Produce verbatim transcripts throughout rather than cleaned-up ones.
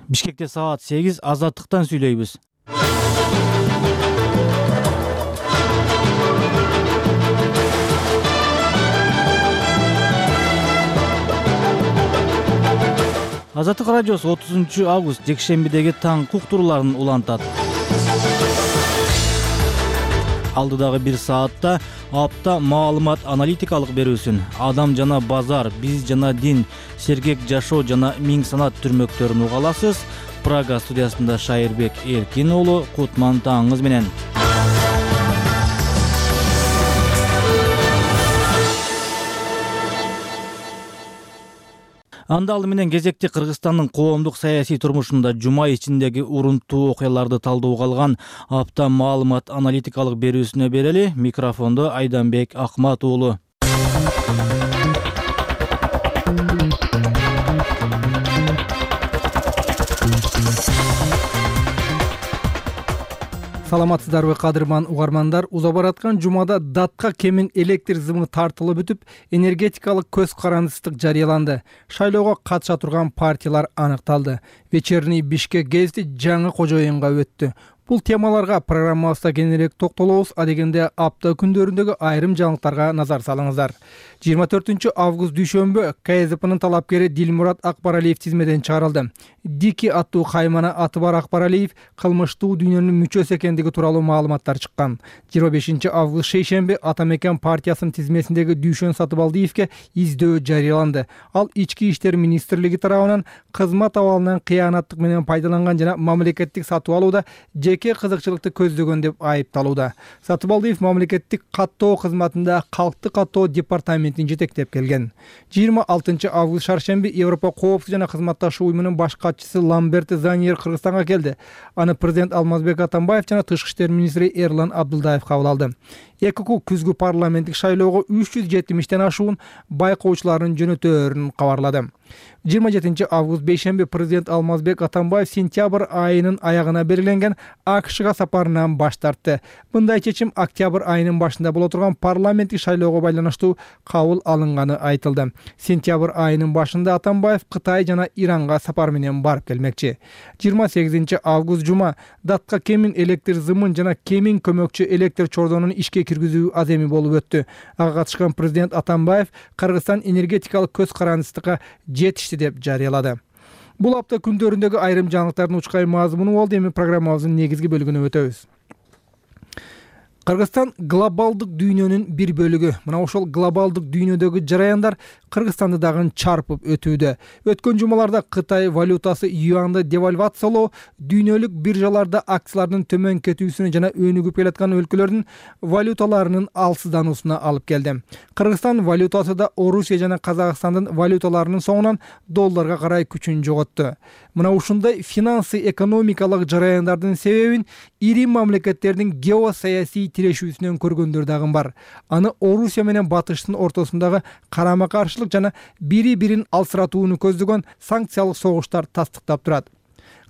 Бишкекте саат сегиз, Азаттыктан сүйлөйбүз. Азаттык радиосу отузунчу август жекшембидеги таң куктурууларын улантат. Алдыдагы бир саатта апта маалымат аналитикалык берүүсүн, адам жана базар, биз жана дин, сергек жашоо жана миң санат түрмөктөрүн уга аласыз. Прага студиясында Шайырбек Эркин уулу, кутман таңыңыз менен. Андалы менен кезекти Кыргызстандын коомдук саясий турмушунда жума ичиндеги урунттуу окуяларды талдоого алган апта маалымат аналитикалык берүүсүнө берели. Микрофондо Айданбек Акмат уулу. Саламатсыздарбы кадырман угармандар? Уза бараткан жумада датка кемин электр зымы тартылып бүтүп, энергетикалык көз карандысыздык жарыяланды. Шайлоого катыша турган партиялар аныкталды. Вечерний Бишкек гезити жаңы кожоюнга өттү. Бул темаларга программабызда кененирээк токтолобуз. Адегенде апта күндөрүндөгү айрым жаңылыктарга назар салыңыздар. жыйырма төртүнчү август дүйшөмбү КСДПнын талапкери Дилмурат Акбаралиев тизмеден чыгарылды. Дики аттуу каймана аты бар Акбаралиев кылмыштуу дүйнөнүн мүчөсү экендиги тууралуу маалыматтар чыккан. жыйырма бешинчи август шейшемби Ата Мекен партиясынын тизмесиндеги Дүйшөн Сатыбалдиевке издөө жарыяланды. Ал ички иштер министрлиги тарабынан кызмат абалынан кыянаттык менен пайдаланган жана мамлекеттик сатып алууда жеке кызыкчылыкты көздөгөн деп айыпталууда. Сатыбалдиев мамлекеттик каттоо кызматында калкты каттоо департаментин жетектеп келген. жыйырма алтынчы август шаршемби Европа коопсуздук жана кызматташуу уюмунун баш катчысы Ламберт Заниер Кыргызстанга келди. Аны президент Алмазбек Атамбаев жана тышкы иштер министри Эрлан Абдулдаев кабыл алды. ЭКК күзгү парламенттик шайлоого үч жүз жетимиштен ашуун байкоочуларын жөнөтөөрүн кабарлады. жыйырма жетинчи август бейшемби президент Алмазбек Атамбаев сентябрь айынын аягына белгиленген АКШга сапарынан баш тартты. Мындай чечим октябрь айынын башында боло турган парламенттик шайлоого байланыштуу кабыл алынганы айтылды. Сентябрь айынын башында Атамбаев Кытай жана Иранга сапар менен барып келмекчи. жыйырма сегизинчи август жума датка кемин электр зымын жана кемин көмөкчү электр чордонун ишке киргизүү аземи болуп өттү. Ага катышкан президент Атамбаев Кыргызстан энергетикалык көз карандысыздыкка жетишти деп жарыялады. Бул апта күндөрүндөгү айрым жаңылыктардын учкай мазмуну болду. Эми программабыздын негизги бөлүгүнө өтөбүз. Кыргызстан глобалдык дүйнөнүн бир бөлүгү. Мына ошол глобалдык дүйнөдөгү жараяндар Кыргызстанды дагы чарпып өтүүдө. Өткөн жумаларда Кытай валютасы юанды девальвациялоо дүйнөлүк биржаларда акциялардын төмөн кетүүсүнө жана өнүгүп келаткан өлкөлөрдүн валюталарынын алсыздануусуна алып келди. Кыргызстан валютасы да Орусия жана Казакстандын валюталарынын соңунан долларга карай күчүн жоготту. Мына ушундай финансы экономикалык жараяндардын себебин ири мамлекеттердин геосаясий тирешүүсүнөн көргөндөр дагы бар. Аны Орусия менен Батыштын ортосундагы карама каршылык жана бири-бирин алсыратууну көздөгөн санкциялык согуштар тастыктап турат.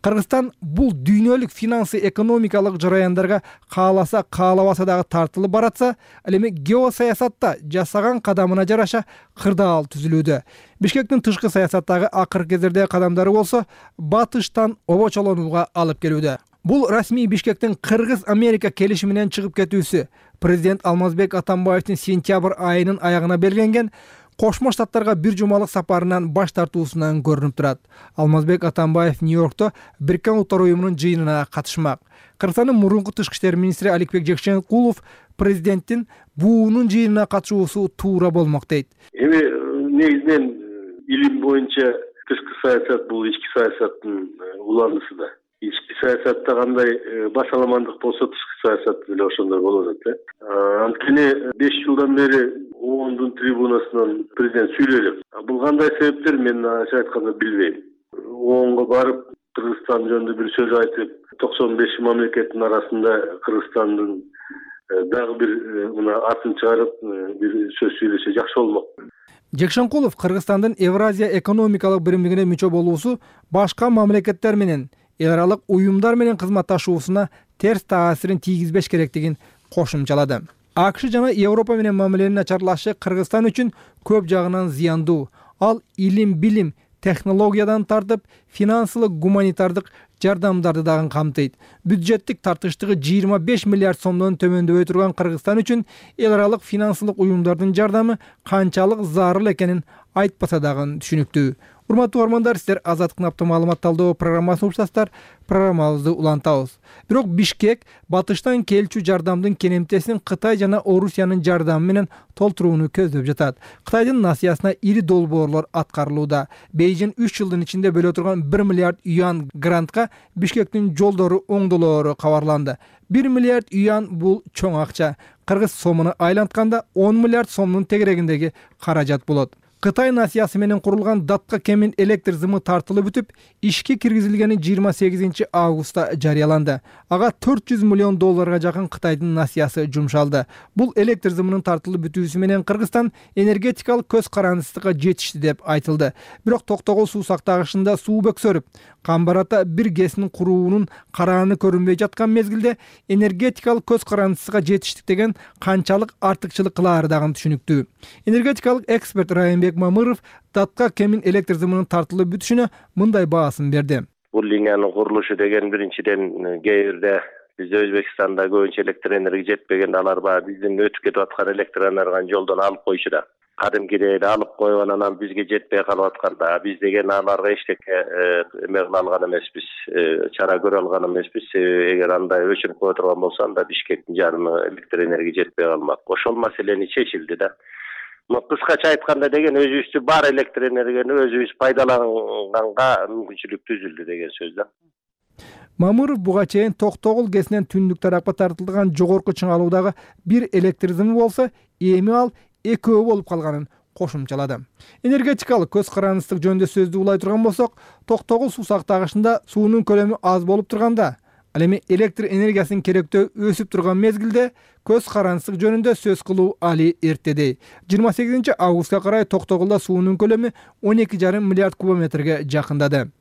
Кыргызстан бул дүйнөлүк финансы экономикалык жараяндарга кааласа каалабаса дагы тартылып баратса, ал эми геосаясатта жасаган кадамына жараша кырдаал түзүлүүдө. Бишкектин тышкы саясаттагы акыркы кездердеги кадамдары болсо Батыштан обочолонууга алып келүүдө. Бул расмий Бишкектин Кыргыз-Америка келишиминен чыгып кетүүсү, президент Алмазбек Атамбаевдин сентябрь айынын аягына белгиленген Кошмо Штаттарга бир жумалык сапарынан баш тартуусунан көрүнүп турат. Алмазбек Атамбаев Нью-Йоркто Бириккен Улуттар уюмунун жыйынына катышмак. Кыргызстандын мурунку тышкы иштер министри Аликбек Жекшенкулов президенттин буунун жыйынына катышуусу туура болмок дейт. Эми негизинен илим боюнча тышкы саясат бул ички саясаттын уланысы да. Ички саясатта кандай басаламандык болсо тышкы саясат деле ошондой болот да. Анткени беш жылдан бери оондун трибунасынан президент сүйлөдү. Бул кандай себептер мен ачык айтканда билбейм. оонго барып Кыргызстан жөнүндө бир сөз айтып, токсон беш мамлекеттин арасында Кыргызстандын дагы бир мына атын чыгарып бир сөз сүйлөсө жакшы болмок. Жекшенкулов Кыргызстандын Евразия экономикалык биримдигине мүчө болуусу башка мамлекеттер менен эл аралык уюмдар менен кызматташуусуна терс таасирин тийгизбеш керектигин кошумчалады. АКШ жана Европа менен мамиленин начарлашы Кыргызстан үчүн көп жагынан зыяндуу. Ал илим, билим, технологиядан тартып финансылык гуманитардык жардамдарды дагы камтыйт. Бюджеттик тартыштыгы жыйырма беш миллиард сомдон төмөндөбөй турган Кыргызстан үчүн эл аралык финансылык уюмдардын жардамы канчалык зарыл экенин айтпаса дагы түшүнүктүү. Урматтуу угармандар, сиздер Азаттыктын апта маалымат талдоо программасын уктасыздар. Программабызды улантабыз. Бирок Бишкек батыштан келчү жардамдын кенемтесин Кытай жана Орусиянын жардамы менен толтурууну көздөп жатат. Кытайдын насыясына ири долбоорлор аткарылууда. Бейжин үч жылдын ичинде бөлө турган бир миллиард юан грантка Бишкектин жолдору оңдолоору кабарланды. бир миллиард юан бул чоң акча. Кыргыз сомуна айлантканда он миллиард сомдун тегерегиндеги каражат болот. Кытай насыясы менен курулган датка кемин электр зымы тартылып бүтүп, ишке киргизилгени жыйырма сегизинчи августта жарыяланды. Ага төрт жүз миллион долларга жакын Кытайдын насыясы жумшалды. Бул электр зымынын тартылып бүтүүсү менен Кыргызстан энергетикалык көз карандысызга жетишти деп айтылды. Бирок Токтогул суу сактагычында суу бөксөрүп, Камбарата бир гэсин куруунун карааны көрүнбөй жаткан мезгилде энергетикалык көз карандысызга жетиштик деген канчалык артыкчылык кылаары дагы түшүнүктүү. Энергетикалык эксперт Райымбек Мамыров датка кемин электр зымынын тартылып бүтүшүнө мындай баасын берди. Бул линиянын курулушу деген биринчиден кээ бирде бизде Өзбекстанда көбүнчө электр энергия жетпеген, алар баягы биздин өтүп кетип аткан электр энергияны жолдон алып коюшу да. Кадимкидей эле алып коюп анан ал бизге жетпей калып атканда биз деген аларга эчтеке эме кыла алган эмеспиз, чара көрө алган эмеспиз. Эгер андай өчүрүп кое турган болсо анда Бишкектин жарымы электр энергия жетпей калмак. Ошол маселени чечилди да. Кыскача айтканда деген өзүбүздүн бар электр энергияны өзүбүз пайдаланганга мүмкүнчүлүк түзүлдү деген сөз да. Мамыров буга чейин Токтогул гэсинен түндүк тарапка тартылган жогорку чыңалуудагы бир электр зымы болсо, эми ал экөө болуп калганын кошумчалады. Энергетикалык көз карандысыздык жөнүндө сөздү улай турган болсок, Токтогул суу сактагычында суунун көлөмү аз болуп турганда, ал эми электр энергиясынын керектөө өсүп турган мезгилде көз карандысыздык жөнүндө сөз кылуу али эртедей. жыйырма сегизинчи августка карай Токтогулда суунун көлөмү он эки жарым миллиард кубометрге жакындады.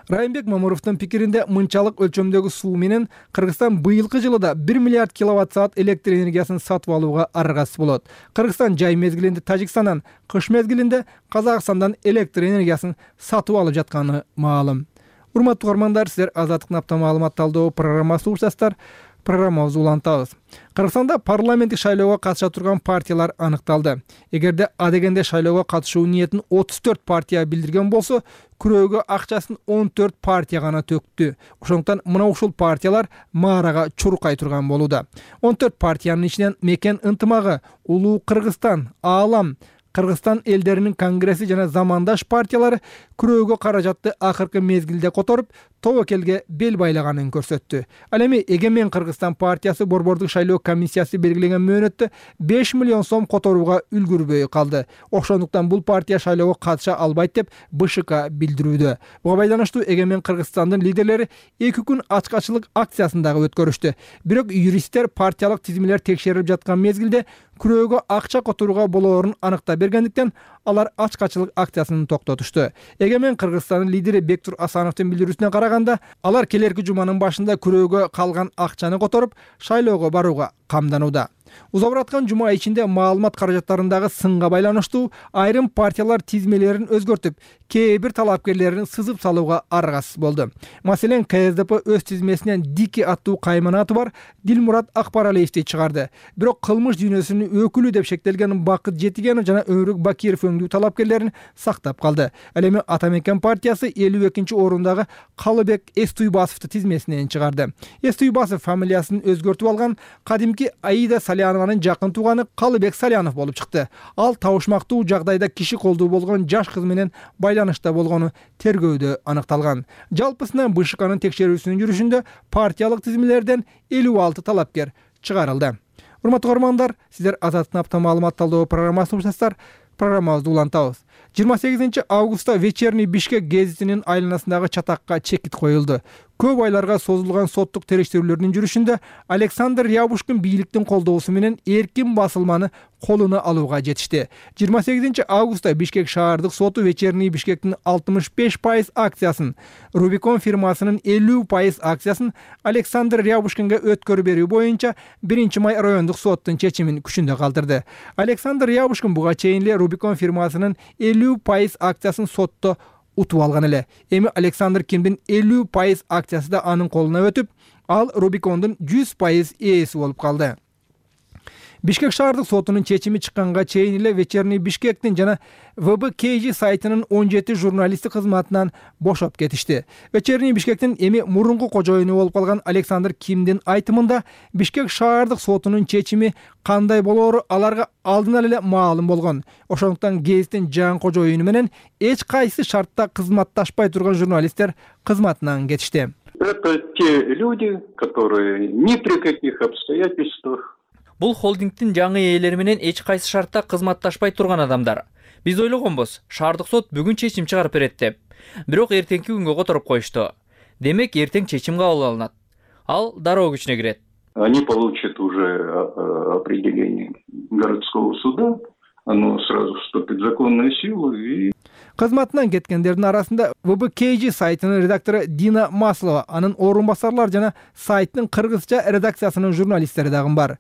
Райымбек Мамыровдун пикиринде мынчалык өлчөмдөгү суу менен Кыргызстан быйылкы жылда бир миллиард киловатт саат электр энергиясын сатып алууга аргасыз болот. Кыргызстан жай мезгилинде Тажикстандан, кыш мезгилинде Казакстандан электр энергиясын сатып алып жатканы маалым. Урматтуу угармандар, сиздер Азаттыктын апта маалымат талдоо программасын уктасыздар. Программабызды улантабыз. Кыргызстанда парламенттик шайлоого катыша турган партиялар аныкталды. Эгерде адегенде шайлоого катышуу ниетин отуз төрт партия билдирген болсо, күрөөгө акчасын он төрт партия гана төктү. Ошондуктан мына ушул партиялар маарага чуркай турган болууда. он төрт партиянын ичинен Мекен ынтымагы, Улуу Кыргызстан, Аалам, Кыргызстан элдеринин конгресси жана замандаш партиялары күрөөгө каражатты акыркы мезгилде которуп, тобокелге бел байлаганын көрсөттү. Ал эми Эгемен Кыргызстан партиясы борбордук шайлоо комиссиясы белгилеген мөөнөттө беш миллион сом которууга үлгүрбөй калды. Ошондуктан бул партия шайлоого катыша албайт деп Бэ Ш К билдирүүдө. Буга байланыштуу Эгемен Кыргызстандын лидерлери эки күн ачкачылык акциясын дагы өткөрүштү. Бирок юристтер партиялык тизмелер текшерилип жаткан мезгилде күрөөгө акча которууга болоорун аныктап бергендиктен алар ачкачылык акциясын токтотушту. Эгемен Кыргызстандын лидери Бектур Асановдун билдирүүсүнө караганда, алар келерки жуманын башында күрөөгө калган акчаны которуп, шайлоого барууга камданууда. Узап бараткан жума ичинде маалымат каражаттарындагы сынга байланыштуу айрым партиялар тизмелерин өзгөртүп, кээ бир талапкерлерин сызып салууга аргасыз болду. Маселен, К С Д П өз тизмесинен Дики аттуу кайманаты бар Дилмурат Акбаралиевди чыгарды. Бирок кылмыш дүйнөсүнүн өкүлү деп шектелген Бакыт Жетигенов жана Өмүрбек Бакиров өңдүү талапкерлерин сактап калды. Ал эми Атамекен партиясы элүү экинчи орундагы Калыбек Эстуйбасовду тизмесинен чыгарды. Эстуйбасов фамилиясын өзгөртүп алган кадимки Аида Салянованын жакын тууганы Калыбек Салянов болуп чыкты. Ал табышмактуу жагдайда киши колдуу болгон жаш кыз менен байланышта болгону тергөөдө аныкталган. Жалпысынан Бэ Ш К'нын текшерүүсүнүн жүрүшүндө партиялык тизмелерден элүү алты талапкер чыгарылды. Урматтуу көрөрмандар, сиздер Азаттыктын апта маалымат талдоо программасын уктасыздар. Программабызды улантабыз. жыйырма сегизинчи августта Вечерний Бишкек гезитинин айланасындагы чатакка чекит коюлду. Көп айларга созулган соттук териштирүүлөрдүн жүрүшүндө Александр Рябушкин бийликтин колдоосу менен эркин басылманы колуна алууга жетишти. жыйырма сегизинчи августта Бишкек шаардык соту Вечерний Бишкектин алтымыш беш пайыз акциясын, Рубикон фирмасынын элүү пайыз акциясын Александр Рябушкинге өткөрүп берүү боюнча биринчи май райондук соттун чечимин күчүндө калтырды. Александр Рябушкин буга чейин эле Рубикон фирмасынын элүү пайыз акциясын сотто утуп алган эле. Эми Александр Кимдин элүү пайыз акциясы да анын колуна өтүп, ал Рубикондун жүз пайыз ээси болуп калды. Бишкек шаардык сотунун чечими чыкканга чейин эле Вечерний Бишкектин жана вэ бэ ка жи сайтынын он жети журналисти кызматынан бошоп кетишти. Вечерний Бишкектин эми мурунку кожоюну болуп калган Александр Кимдин айтымында Бишкек шаардык сотунун чечими кандай болоору аларга алдынан эле маалым болгон. Ошондуктан гезиттин жаңы кожоюну менен эч кайсы шартта кызматташпай турган журналисттер кызматынан кетишти. Это те люди, которые ни при каких обстоятельствах. Бул холдингдин жаңы ээлери менен эч кайсы шартта кызматташпай турган адамдар. Биз ойлогонбуз, шаардык сот бүгүн чечим чыгарып берет деп. Бирок эртеңки күнгө которуп коюшту. Демек эртең чечим кабыл алынат. Ал дароо күчүнө кирет. Они получат уже определение городского суда, оно сразу вступит в законную силу и Кызматынан кеткендердин арасында вэ бэ ка жи сайтынын редактору Дина Маслова, анын орун басарлар жана сайттын кыргызча редакциясынын журналисттери дагы бар.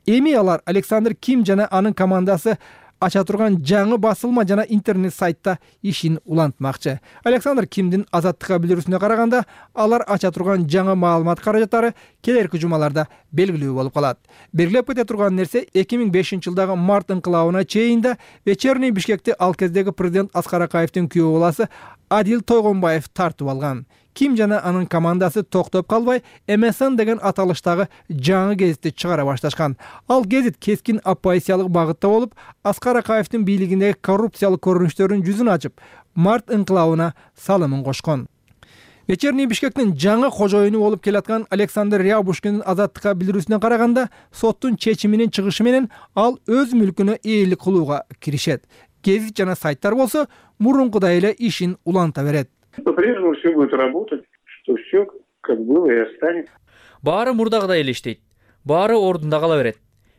Эми алар Александр Ким жана анын командасы ача турган жаңы басылма жана интернет сайтта ишин улантмакчы. Александр Кимдин Азаттыкка билдирүүсүнө караганда, алар ача турган жаңы маалымат каражаттары келерки жумаларда белгилүү болуп калат. Белгилеп кете турган нерсе эки миң бешинчи жылдагы март инкылабына чейин да Вечерний Бишкекти ал кездеги президент Аскар Акаевдин күйөө баласы Адил Тойгонбаев тартып алган. Ким жана анын командасы токтоп калбай эм эс эн деген аталыштагы жаңы гезитти чыгара башташкан. Ал гезит кескин оппозициялык багытта болуп, Аскар Акаевдин бийлигиндеги коррупциялык көрүнүштөрүнүн жүзүн ачып, март инкылабына салымын кошкон. Вечерний Бишкектин жаңы кожоюну болуп келаткан Александр Рябушкиндин Азаттыкка билдирүүсүнө караганда, соттун чечиминин чыгышы менен ал өз мүлкүнө ээлик кылууга киришет. Гезит жана сайттар болсо мурункудай эле ишин уланта берет. По-прежнему все будет работать, что все как было и останется. Баары мурдагыдай эле иштейт. Баары ордунда кала берет.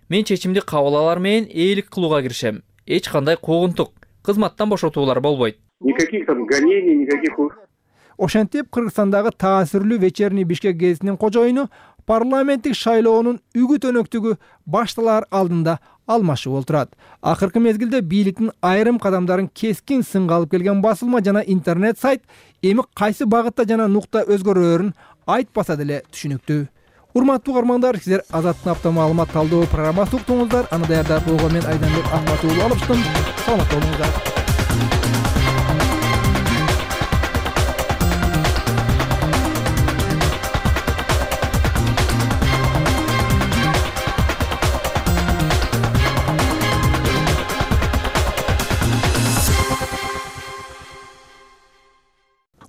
Мен чечимди кабыл алар менен ээлик кылууга киришем. Эч кандай куугунтук, кызматтан бошотуулар болбойт. Никаких там гонений, никаких. Ошентип Кыргызстандагы таасирлүү Вечерний Бишкек гезитинин кожоюну парламенттик шайлоонун үгүт өнөктүгү башталар алдында алмашып олтурат. Акыркы мезгилде бийликтин айрым кадамдарын кескин сынга алып келген басылма жана интернет сайт эми кайсы багытта жана нукта өзгөрөөрүн айтпаса деле түшүнүктүү. Урматтуу угармандар, сиздер Азаттык апта маалымат талдоо программасы уктуңуздар. Аны даярдап койгон мен Айданбек Ахматуулу алыштым. Саламат болуңуздар.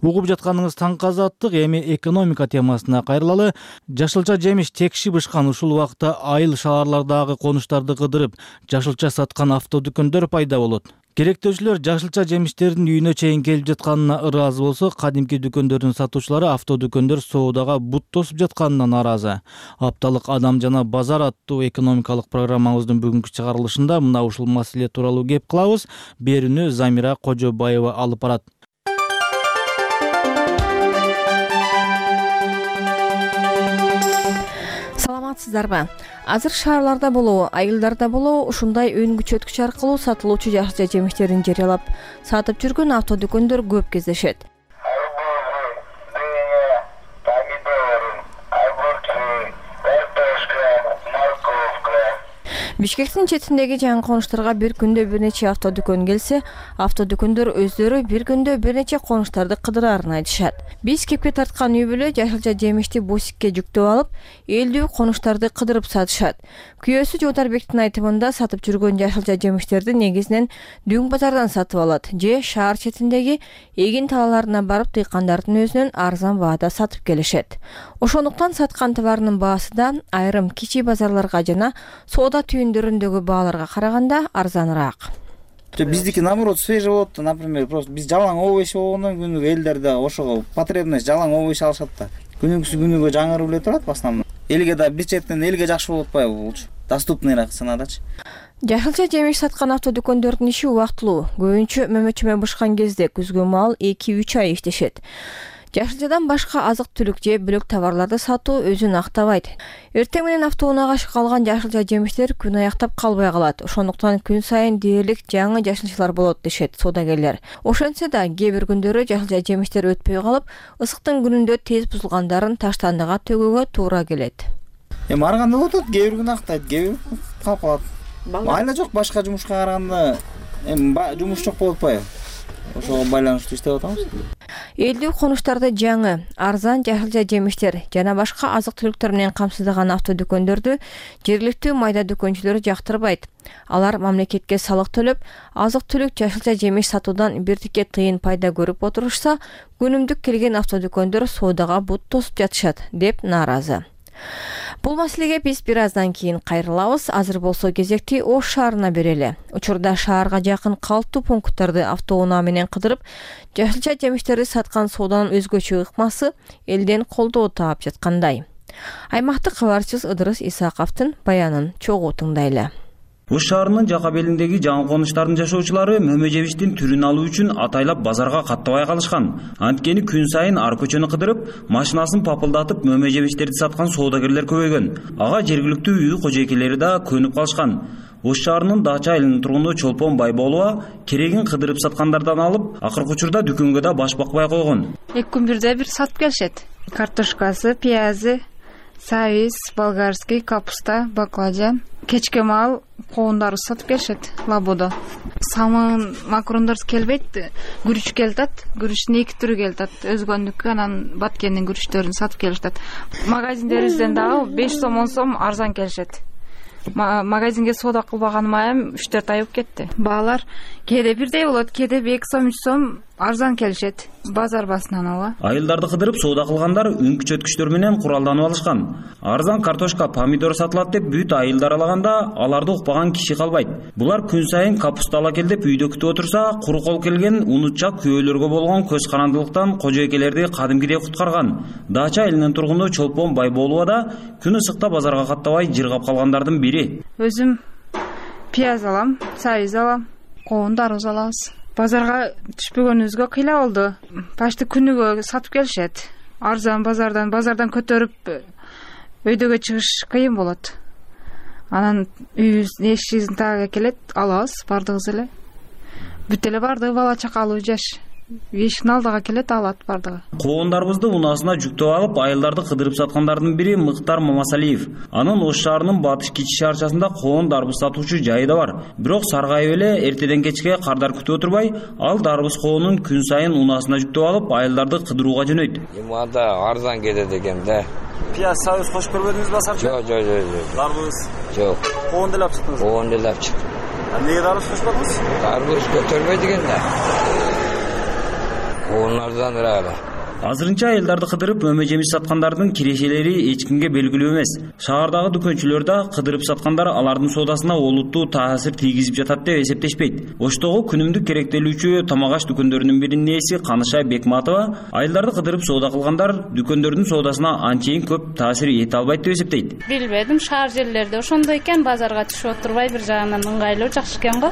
Угуп жатканыңыз таңкы Азаттык, эми экономика темасына кайрылалы. Жашылча жемиш текши бышкан ушул убакта айыл шаарлардагы конуштарды кыдырып, жашылча саткан автодүкөндөр пайда болот. Керектөөчүлөр жашылча жемиштердин үйүнө чейин келип жатканына ыраазы болсо, кадимки дүкөндөрдүн сатуучулары автодүкөндөр соодага бут тосуп жатканына нааразы. Апталык Адам жана базар аттуу экономикалык программабыздын бүгүнкү чыгарылышында мына ушул маселе тууралуу кеп кылабыз. Берүүнү Замира Кожобаева алып барат. Саламатсыздарбы? Азыр шаарларда болобу, айылдарда болобу ушундай өн күчөткүч аркылуу сатылуучу жашылча жемиштерин жарыялап сатып жүргөн автодүкөндөр көп кездешет. Бишкектин четиндеги жаңы конуштарга бир күндө бир нече автодүкөн келсе, автодүкөндөр өздөрү бир күндө бир нече конуштарды кыдыраарын айтышат. Биз кепке тарткан үй бүлө жашылча жемишти бусикке жүктөп алып, элдүү конуштарды кыдырып сатышат. Күйөөсү Жотарбектин айтымында сатып жүргөн жашылча жемиштерди негизинен дүң базардан сатып алат же шаар четиндеги эгин талаларына барып дыйкандардын өзүнөн арзан баада сатып келишет. Ошондуктан саткан товарынын баасы да айрым кичи базарларга жана соода түйүндөрүндөгү бааларга караганда арзаныраак. Биздики наоборот свежий болот, например, просто биз жалаң овощ болгондон күнүгө элдерде ошого потребность жалаң овощ алышат да. Күнүгүсү күнүгө жаңырып эле турат в основном. Элге да бир четинен элге жакшы болуп атпайбы булчу? Доступныйраак сынадачы. Жашылча жемиш саткан автодүкөндөрдүн иши убактылуу. Көбүнчө мөмөчөмө бышкан кезде күзгү маал эки үч ай иштешет. Жашылчадан башка азык-түлүк же бөлөк товарларды сатуу өзүн актабайт. Эртең менен автоунаага калган жашылча жемиштер күн аяктап калбай калат. Ошондуктан күн сайын дээрлик жаңы жашылчалар болот дешет соодагерлер. Ошентсе да кээ бир күндөрү жашылча жемиштер өтпөй калып, ысыктын күнүндө тез бузулгандарын таштандыга төгүүгө туура келет. Эми ар кандай болот, кээ бир күн актайт, кээ бир калып калат. Майла жок, башка жумушка караганда эми жумуш жок болуп атпайбы? Ошого байланыштуу иштеп атабыз. Элдүү конуштарды жаңы, арзан жашылча жемиштер жана башка азык-түлүктөр менен камсыздаган автодүкөндөрдү жергиликтүү майда дүкөнчүлөр жактырбайт. Алар мамлекетке салык төлөп, азык-түлүк жашылча жемиш сатуудан бир тикке тыйын пайда көрүп отурушса, күнүмдүк келген автодүкөндөр соодага бут тосуп жатышат деп нааразы. Бул маселеге биз бир аздан кийин кайрылабыз. Азыр болсо кезекти Ош шаарына берели. Учурда шаарга жакын калктуу пункттарды автоунаа менен кыдырып, жашылча жемиштерди саткан сооданын өзгөчө ыкмасы элден колдоо таап жаткандай. Аймактык кабарчыбыз Ыдырыс Исаковдун баянын чогуу тыңдайлы. Ош шаарынын жака белиндеги жаңы конуштардын жашоочулары мөмө жемиштин түрүн алуу үчүн атайлап базарга каттабай калышкан. Анткени күн сайын ар көчөнү кыдырып, машинасын папылдатып мөмө жемиштерди саткан соодагерлер көбөйгөн. Ага жергиликтүү үй кожойкелери да көнүп калышкан. Ош шаарынын Дача айылынын тургуну Чолпон Байболова керегин кыдырып саткандардан алып, акыркы учурда дүкөнгө да баш бакпай койгон. Эки күн бирде бир сатып келишет. Картошкасы, пиязы, сабиз, болгарский, капуста, баклажан. Кечке маал коундарды сатып келишет лабудо. Самын макарондор келбейт, күрүч келатат. Күрүчтүн эки түрү келатат. Өзгөндүккө анан Баткендин күрүчтөрүн сатып келишет. Магазиндерибизден дагы беш сом он сом арзан келишет. Магазинге соода кылбаганыма эм үч төрт ай болуп кетти. Баалар кээде бирдей болот, кээде эки сом үч сом арзан келишет. Базар басынан ала. Айылдарды кыдырып соода кылгандар үн күчөткүчтөр менен куралданып алышкан. Арзан картошка, помидор сатылат деп бүт айылды аралаганда аларды укпаган киши калбайт. Булар күн сайын капуста ала кел деп үйдө күтүп отурса, куру кол келген унутчак күйөөлөргө болгон көз карандылыктан кожойкелерди кадимкидей куткарган. Дача айылынын тургуну Чолпон Байболова да күн ысыкта базарга каттабай жыргап калгандардын бири. Өзүм пияз алам, сабиз алам, коон дарыз алабыз. Базарга түшпөгөнүбүзгө кыйла болду. Почти күнүгө сатып келишет. Арзан базардан, базардан көтөрүп өйдөгө чыгыш кыйын болот. Анан үйүбүздүн эшигибиздин тагыга келет, алабыз бардыгыбыз эле. Бүт эле бардыгы бала чакалуу жаш. Эшиктин алдыга келет, алат бардыгы. Коондарыбызды унаасына жүктөп алып, айылдарды кыдырып саткандардын бири Мыктар Мамасалиев. Анын Ош шаарынын батыш кичи шаарчасында коон дарбыз сатуучу жайы да бар. Бирок саргайып эле эртеден кечке кардар күтүп отурбай, ал дарбыз коонун күн сайын унаасына жүктөп алып, айылдарды кыдырууга жөнөйт. Эми анда арзан кетет экен да. Пияз, сабиз кошуп көрбөдүңүзбү асарчы? Жок, жок, жок. Дарбыз? Жок. Коон деле алып чыктыңыз? Коон деле алып чыктым. Эмнеге дарбыз кошподуңуз? Дарбыз көтөрбөйт экен да. Коондардан эле. Азырынча айылдарды кыдырып мөмө жемиш саткандардын кирешелери эч кимге белгилүү эмес. Шаардагы дүкөнчүлөр да кыдырып саткандар алардын соодасына олуттуу таасир тийгизип жатат деп эсептешпейт. Оштогу күнүмдүк керектелүүчү тамак аш дүкөндөрүнүн биринин ээси Каныша Бекматова айылдарды кыдырып соода кылгандар дүкөндөрдүн соодасына анчейин көп таасир эте албайт деп эсептейт. Билбедим, шаар жерлерде ошондой экен, базарга түшүп отурбай бир жагынан ыңгайлуу, жакшы экен го.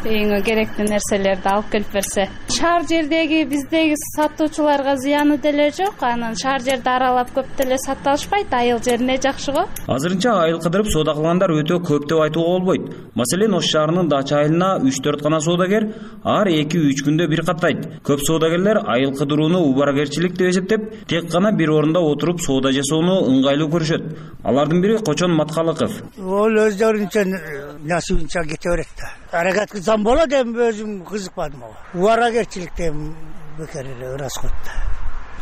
Эң керектүү нерселерди алып келип берсе. Шаар жердеги биздеги сатуучуларга зыяны деле жок. Анан шаар жерди аралап көп деле сата алышпайт, айыл жерине жакшы го. Азырынча айыл кыдырып соода кылгандар өтө көп деп айтууга болбойт. Маселен, Ош шаарынын Дача айылына үч төрт гана соодагер ар эки үч күндө бир каттайт. Көп соодагерлер айыл кыдырууну убаракерчилик деп эсептеп, тек гана бир орунда отуруп соода жасоону ыңгайлуу көрүшөт. Алардын бири Кочон Маткалыков. Ол өздөрүнчө насыбынча кете берет да. Аракет кылсам болот, эми өзүм кызыкпадым ага. Убаракерчиликтен бекер эле расход.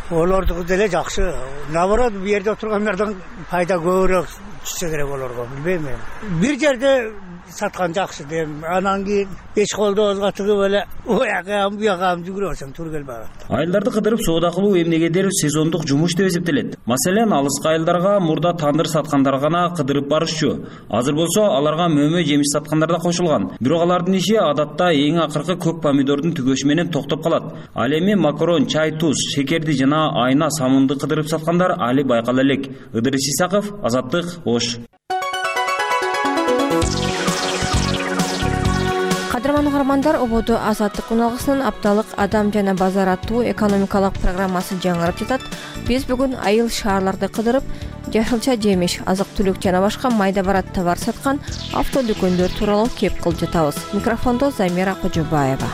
Олордуку деле жакшы. Наоборот, бу жерде отургандардан пайда көбүрөөк түшсө керек олорго, билбейм эми. Бир жерде саткан жакшы дейм. Анан кийин эч колдообузга тыгып эле уякам буякам жүгүрө берсең туура келбей калат. Айылдарды кыдырып соода кылуу эмнегедир сезондук жумуш деп эсептелет. Маселен, алыскы айылдарга мурда тандыр саткандар гана кыдырып барышчу. Азыр болсо аларга мөмө жемиш саткандар да кошулган. Бирок алардын иши адатта эң акыркы көк помидордун түгөшү менен токтоп калат. Ал эми макарон, чай, туз, шекерди жана айна, самынды кыдырып саткандар али байкала элек. Ыдырыс Исаков, Азаттык, Ош. Саламатсыздарбы угармандар, ободо Азаттык уналгысынын апталык Адам жана базар аттуу экономикалык программасы жаңырып жатат. Биз бүгүн айыл шаарларды кыдырып, жашылча жемиш, азык-түлүк жана башка майда барат товар саткан автодүкөндөр тууралуу кеп кылып жатабыз. Микрофондо Замира Кожобаева.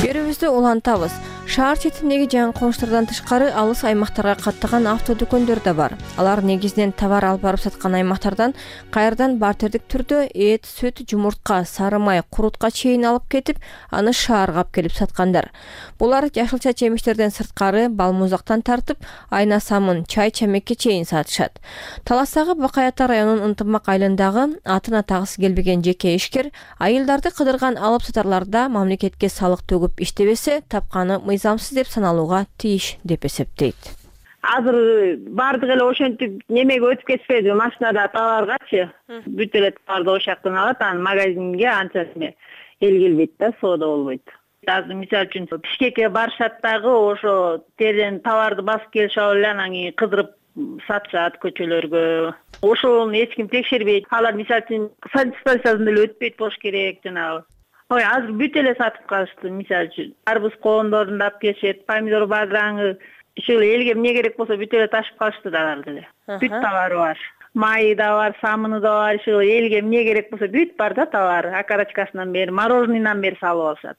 Берүүбүздү улантабыз. Шаар четиндеги жаңы конуштардан тышкары алыс аймактарга каттаган автодүкөндөр да бар. Алар негизинен товар алып барып саткан аймактардан кайрадан бартердик түрдө эт, сүт, жумуртка, сары май, курутка чейин алып кетип, аны шаарга алып келип саткандар. Булар жашылча жемиштерден сырткары бал музактан тартып, айна самын, чай чамекке чейин сатышат. Таластагы Бакай Ата районунун Ынтымак айылындагы атын атагысы келбеген жеке ишкер айылдарды кыдырган алып сатарларда мамлекетке салык төгүп иштебесе, тапканы мыйзамсыз деп саналууга тийиш деп эсептейт. Азыр бардык эле ошентип немеге өтүп кетпеди, машинада товаргачы. Бүт эле товарды ошол жактан алат, анан магазинге анча эл келбейт да, соода болбойт. Азыр мисалы үчүн Бишкекке барышат дагы, ошо терден товарды басып келишип эле анан кийин кыдырып сатышат көчөлөргө. Ошону эч ким текшербейт. Алар мисалы үчүн санстанциядан эле өтпөйт болуш керек жанагы. Ой, азыр бүт эле сатып калышты. Мисалы үчүн арбуз коондорун да алып келишет, помидор бадыраңы, иши элге эмне керек болсо бүт эле ташып калышты дагы деле. Бүт товары бар. Майы да бар, самыны да бар, иши элге эмне керек болсо бүт бар да товары. Окорочкасынан бери, мороженныйдан бери салып алышат.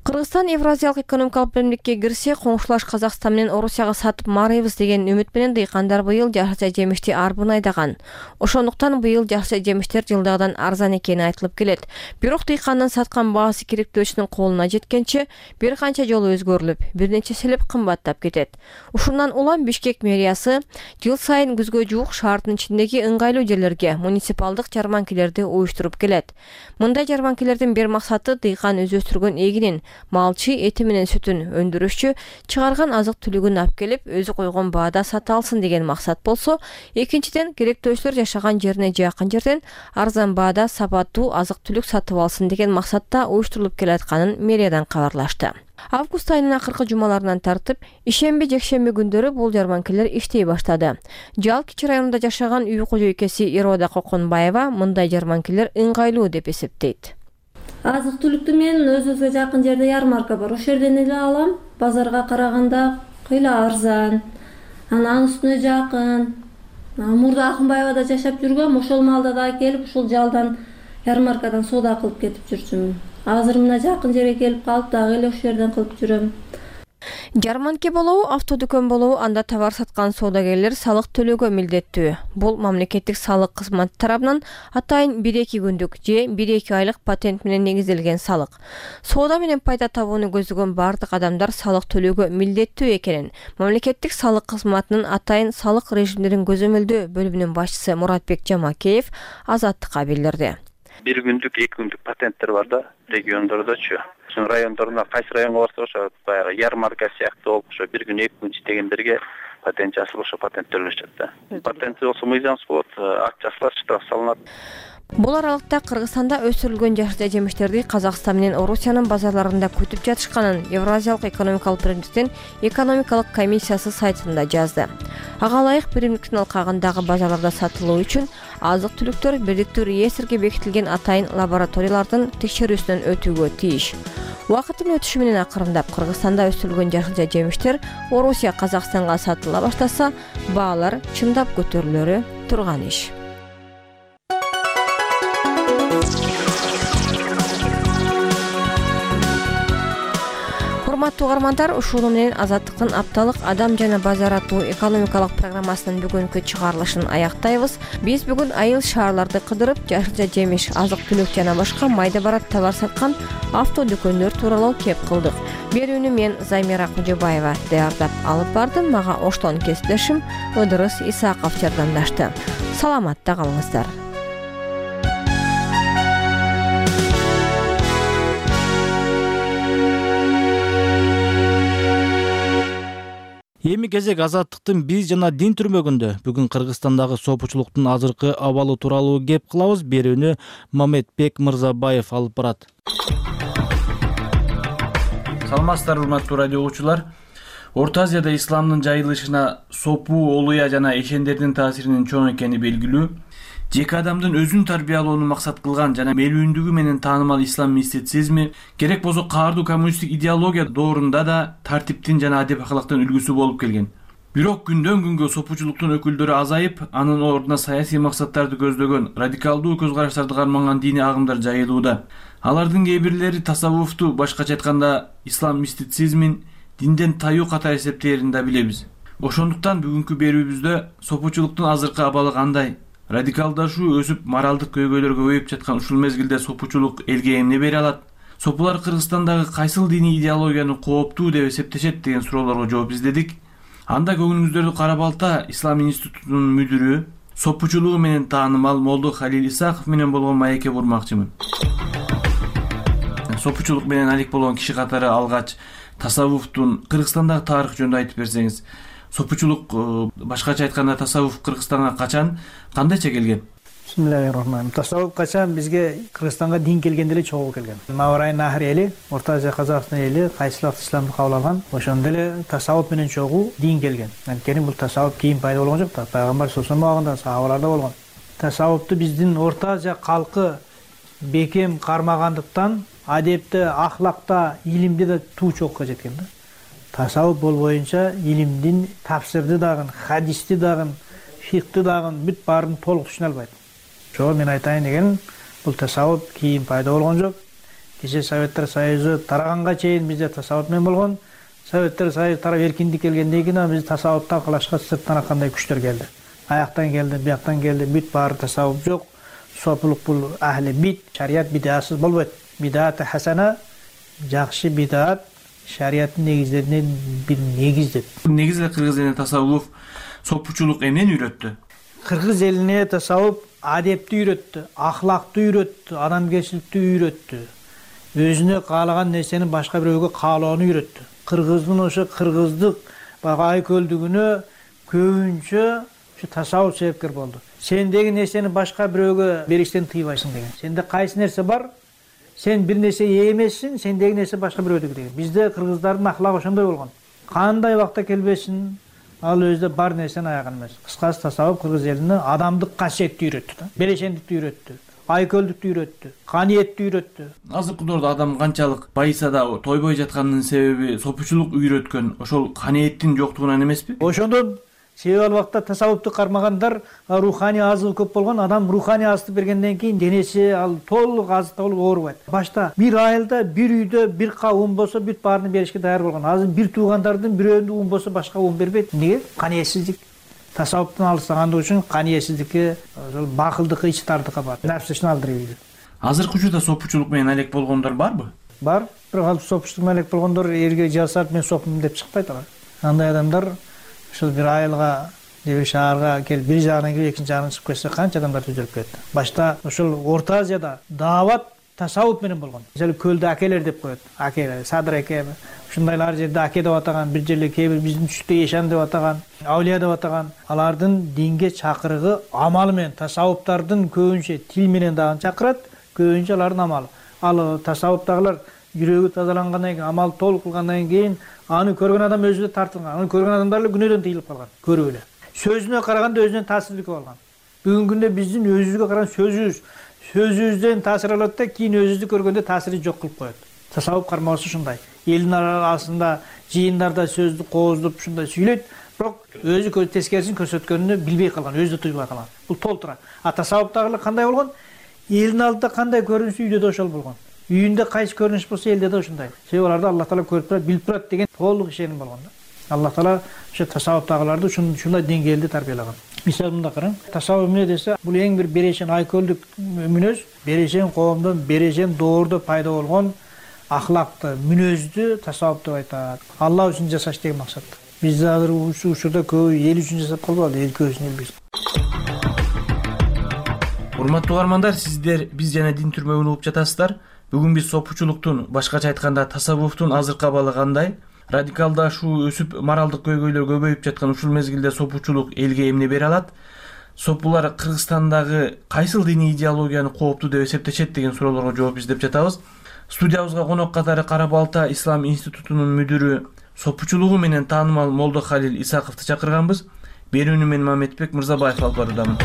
Кыргызстан Евразиялык экономикалык биримдикке кирсе, коңшулаш Казакстан менен Орусияга сатып марыйбыз деген үмүт менен дыйкандар быйыл жашылча жемишти арбын айдаган. Ошондуктан быйыл жашылча жемиштер жылдагыдан арзан экени айтылып келет. Бирок дыйкандын саткан баасы керектөөчүнүн колуна жеткенче бир канча жолу өзгөрүлүп, бир нече селеп кымбаттап кетет. Ушундан улам Бишкек мэриясы жыл сайын күзгө жуук шаардын ичиндеги ыңгайлуу жерлерге муниципалдык жарманкелерди уюштуруп келет. Мындай жарманкелердин бир максаты дыйкан өз өстүргөн эгинин, малчы эти менен сүтүн өндүрүшчү чыгарган азык-түлүгүн алып келип, өзү койгон баада сата алсын деген максат болсо, экинчиден керектөөчүлөр жашаган жерине жакын жерден арзан баада сапаттуу азык-түлүк сатып алсын деген максатта уюштурулуп келатканын мэриядан кабарлашты. Август айынын акыркы жумаларынан тартып, ишемби, жекшемби күндөрү бул жарманкелер иштей баштады. Жал Кичи районунда жашаган үй кожойкеси Ирода Коконбаева мындай жарманкелер ыңгайлуу деп эсептейт. Азык-түлүктү мен өзүбүзгө жакын жерде ярмарка бар. Ошол жерден эле алам. Базарга караганда кыйла арзан. Анан үстүнө жакын. Мурда Акынбаевада жашап жүргөм, ошол маалда да келип, ушул жалдан ярмаркадан соода кылып кетип жүрчүмүн. Азыр мына жакын жерге келип калып, дагы эле ошол жерден кылып жүрөм. Жарманке болобу, автодүкөн болобу, анда товар саткан соодагерлер салык төлөөгө милдеттүү. Бул мамлекеттик салык кызматы тарабынан атайын бир-эки күндүк же бир-эки айлык патент менен негизделген салык. Соода менен пайда табууну көздөгөн бардык адамдар салык төлөөгө милдеттүү экенин мамлекеттик салык кызматынын атайын салык режимдерин көзөмөлдөө бөлүмүнүн башчысы Муратбек Жамакеев Азаттыкка билдирди. Бир күндүк, эки күндүк патенттер бар да, региондордочу. Ошо райондорунда кайсы районго барса ошо баягы ярмарка сыяктуу болуп, ошо бир күн, эки күн иштегендерге патент жасалып, ошо патент төлөшөт да. Патент болсо мыйзамсыз болот, акт жасалат, штраф салынат. Бул аралыкта Кыргызстанда өсүрүлгөн жашылча жемиштерди Казакстан менен Орусиянын базарларында күтүп жатышканын Евразиялык экономикалык биримдиктин экономикалык комиссиясы сайтында жазды. Ага ылайык биримдиктин алкагындагы базарларда сатылуу үчүн азык-түлүктөр бирдиктүү реестрге бекитилген атайын лабораториялардын текшерүүсүнөн өтүүгө тийиш. Убакыттын өтүшү менен акырындап Кыргызстанда өсүрүлгөн жашылча жемиштер Орусия, Казакстанга сатыла баштаса, баалар чындап көтөрүлөрү турган иш. Урматтуу угармандар, ушуну менен Азаттыктын апталык Адам жана базар аттуу экономикалык программасынын бүгүнкү чыгарылышын аяктайбыз. Биз бүгүн айыл шаарларды кыдырып, жашылча жемиш, азык-түлүк жана башка майда барат товар саткан автодүкөндөр тууралуу кеп кылдык. Берүүнү мен Замира Кожобаева даярдап алып бардым. Мага оштон кесиптешим Ыдырыс Исаков жардамдашты. Саламатта калыңыздар. Эми кезек Азаттыктын биз жана дин түрмөгүндө. Бүгүн Кыргызстандагы сопучулуктун азыркы абалы тууралуу кеп кылабыз. Берүүнү Мамедбек Мырзабаев алып барат. Саламатсыздарбы, урматтуу радио угуучулар. Орто Азияда исламдын жайылышына сопу, олуя жана эшендердин таасиринин чоң экени белгилүү. Жеке адамдын өзүн тарбиялоону максат кылган жана мелүүндүгү менен таанымал ислам мистицизми керек болсо каардуу коммунисттик идеология доорунда да тартиптин жана адеп акылактын үлгүсү болуп келген. Бирок күндөн күнгө сопучулуктун өкүлдөрү азайып, анын ордуна саясий максаттарды көздөгөн радикалдуу көз караштарды карманган диний агымдар жайылууда. Алардын кээ бирлери тасаввуфту, башкача айтканда ислам мистицизмин динден таюу катары эсептээрин да билебиз. Ошондуктан бүгүнкү берүүбүздө сопучулуктун азыркы абалы кандай, радикалдашуу өсүп, моралдык көйгөйлөр көбөйүп жаткан ушул мезгилде сопучулук элге эмне бере алат? Сопулар Кыргызстандагы кайсыл диний идеологияны кооптуу деп эсептешет деген суроолорго жооп издедик. Анда көңүлүңүздөрдү кара балта Ислам институтунун мүдүрү, сопучулугу менен таанымал Молдо Халил Исаков менен болгон маекке бурмакчымын. Сопучулук менен алек болгон киши катары алгач тасаввуфтун Кыргызстандагы тарыхы жөнүндө айтып берсеңиз. Сопучулук, башкача айтканда тасаввуф Кыргызстанга качан, кандайча келген? Бисмиллахиррахманиррахим. Тасаввуф качан бизге Кыргызстанга дин келгенде эле чогуу келген. Маврай Нахр эли, Орто Азия Казакстан эли кайсы вакыт исламды кабыл алган, ошондо эле тасаввуф менен чогуу дин келген. Анткени бул тасаввуф кийин пайда болгон жок да, пайгамбар саллаллаху алейхи убагында сахабаларда болгон. Тасаввуфту биздин Орто Азия калкы бекем кармагандыктан адепте, ахлакта, илимде да туу чокко жеткен да. Тасаввуф боюнча илимдин тафсирди дагы, хадисти дагы, фикти дагы бүт баарын толук түшүнө албайт. Ошого мен айтайын деген, бул тасаввуф кийин пайда болгон жок. Кеше Советтер Союзу тараганга чейин бизде тасаввуф менен болгон. Советтер Союзу тарап эркиндик келгенден кийин биз тасаввуфтан калашка сырттан кандай күчтөр келди. Аяктан келди, бияктан келди, бүт баары тасаввуф жок. Сопулук бул ахли бит, шарият бидасыз болбойт. Бидат хасана, жакшы бидат шариаттын негиздеринен бир негиз деп. Негизи кыргыз элине тасаввуф сопучулук эмнени үйрөттү? Кыргыз элине тасаввуф адепти үйрөттү, ахлакты үйрөттү, адамгерчиликти үйрөттү. Өзүнө каалаган нерсени башка бирөөгө каалоону үйрөттү. Кыргыздын ошо кыргыздык айкөлдүгүнө көбүнчө ушу тасаввуф себепкер болду. Сендеги нерсени башка бирөөгө бериштен тыйбайсың деген. Сенде кайсы нерсе бар, сен бир нерсе эмессиң, сендеги нерсе башка бирөөдүкү деген. Бизде кыргыздардын ахлагы ошондой болгон. Кандай убакта келбесин, ал өзүдө бар нерсени аяган эмес. Кыскасы тасаввуф кыргыз элине адамдык касиетти үйрөттү да. Берешендикти үйрөттү, айкөлдүктү үйрөттү, каниетти үйрөттү. Азыркы доордо адам канчалык байыса да тойбой жатканынын себеби сопучулук үйрөткөн ошол каниеттин жоктугунан эмеспи? Ошондон себеби ал убакта тасаввуфту кармагандар руханий азыгы көп болгон. Адам руханий азык бергенден кийин денеси ал толук азыкта болуп оорубайт. Башта бир айылда, бир үйдө бир кап ун болсо бүт баарын беришке даяр болгон. Азыр бир туугандардын бирөөндө ун болсо башка ун бербейт. Эмнеге? Каниетсиздик. Тасаввуфтун алыстагандыгы үчүн каниетсиздикке, ошол бакылдыкка, ичтардыкка бар. Нафсишин алдырып ийди. Азыркы учурда сопучулук менен алек болгондор барбы? Бар. Бирок ал сопучулук менен алек болгондор элге жасап мен сопмун деп чыкпайт алар. Андай адамдар ушул бир айылга, бир шаарга келип, бир жагынан келип, экинчи жагынан чыгып кетсе, канча адамдар түзөлүп кетти. Башта ушул Орто Азияда даават тасаввуф менен болгон. Мисалы көлдө акелер деп коет. Акелер, Садыр аке, ушундайлар жерде аке деп атаган, бир жерде кээ бир биздин түштө Ешан деп атаган, Аулия деп атаган. Алардын динге чакырыгы амалы менен, тасаввуфтардын көбүнчө тил менен дагы чакырат, көбүнчө алардын амалы. Ал тасаввуфтагылар жүрөгү тазалангандан кийин, амал толук кылгандан кийин аны көргөн адам өзүнө тартылган. Аны көргөн адамдар эле күнөөдөн тыйылып калган, көрүп эле. Сөзүнө караганда өзүнөн таасирдик алган. Бүгүнкү күндө биздин өзүбүзгө караган сөзүбүз, сөзүбүздөн таасир алат да, кийин өзүбүздү көргөндө таасири жок кылып коет. Тасаввуф кармоосу ушундай. Элдин арасында, жыйындарда сөздү кооздоп ушундай сүйлөйт, бирок өзү тескерисин көрсөткөнүнү билбей калган, өзү да туйбай калган. Бул толтура. А тасаввуфтагылар кандай болгон? Элдин алдында кандай көрүнүшү үйдө да ошол болгон. Үйүндө кайсы көрүнүш болсо элде да ушундай. Себеби аларда Аллах Таала көрүп турат, билип турат деген толук ишеним болгон да. Аллах Таала ошо тасаввуфтагыларды ушундай деңгээлде тарбиялаган. Мисалы мында караң, тасаввуф эмне десе, бул эң бир берешен айкөлдүк мүнөз, берешен коомдон, берешен доордо пайда болгон ахлакты, мүнөздү тасаввуф деп айтат. Алла үчүн жашаш деген максат. Биз азыр ушул учурда көбү эл үчүн жашап калбады, эл көбүсүн эл билсин. Урматтуу угармандар, сиздер биз жана дин түрмөгүн угуп жатасыздар. Бүгүн биз сопучулуктун, башкача айтканда тасаввуфтун азыркы абалы кандай, радикалдашуу өсүп, моралдык көйгөйлөр көбөйүп жаткан ушул мезгилде сопучулук элге эмне бере алат? Сопулар Кыргызстандагы кайсыл диний идеологияны кооптуу деп эсептешет деген суроолорго жооп издеп жатабыз. Студиябызга конок катары Кара Балта Ислам институтунун мүдүрү сопучулугу менен таанымал Молдо Халил Исаковду чакырганбыз. Берүүнү мен Мамедбек Мырзабаев алып баруудамын.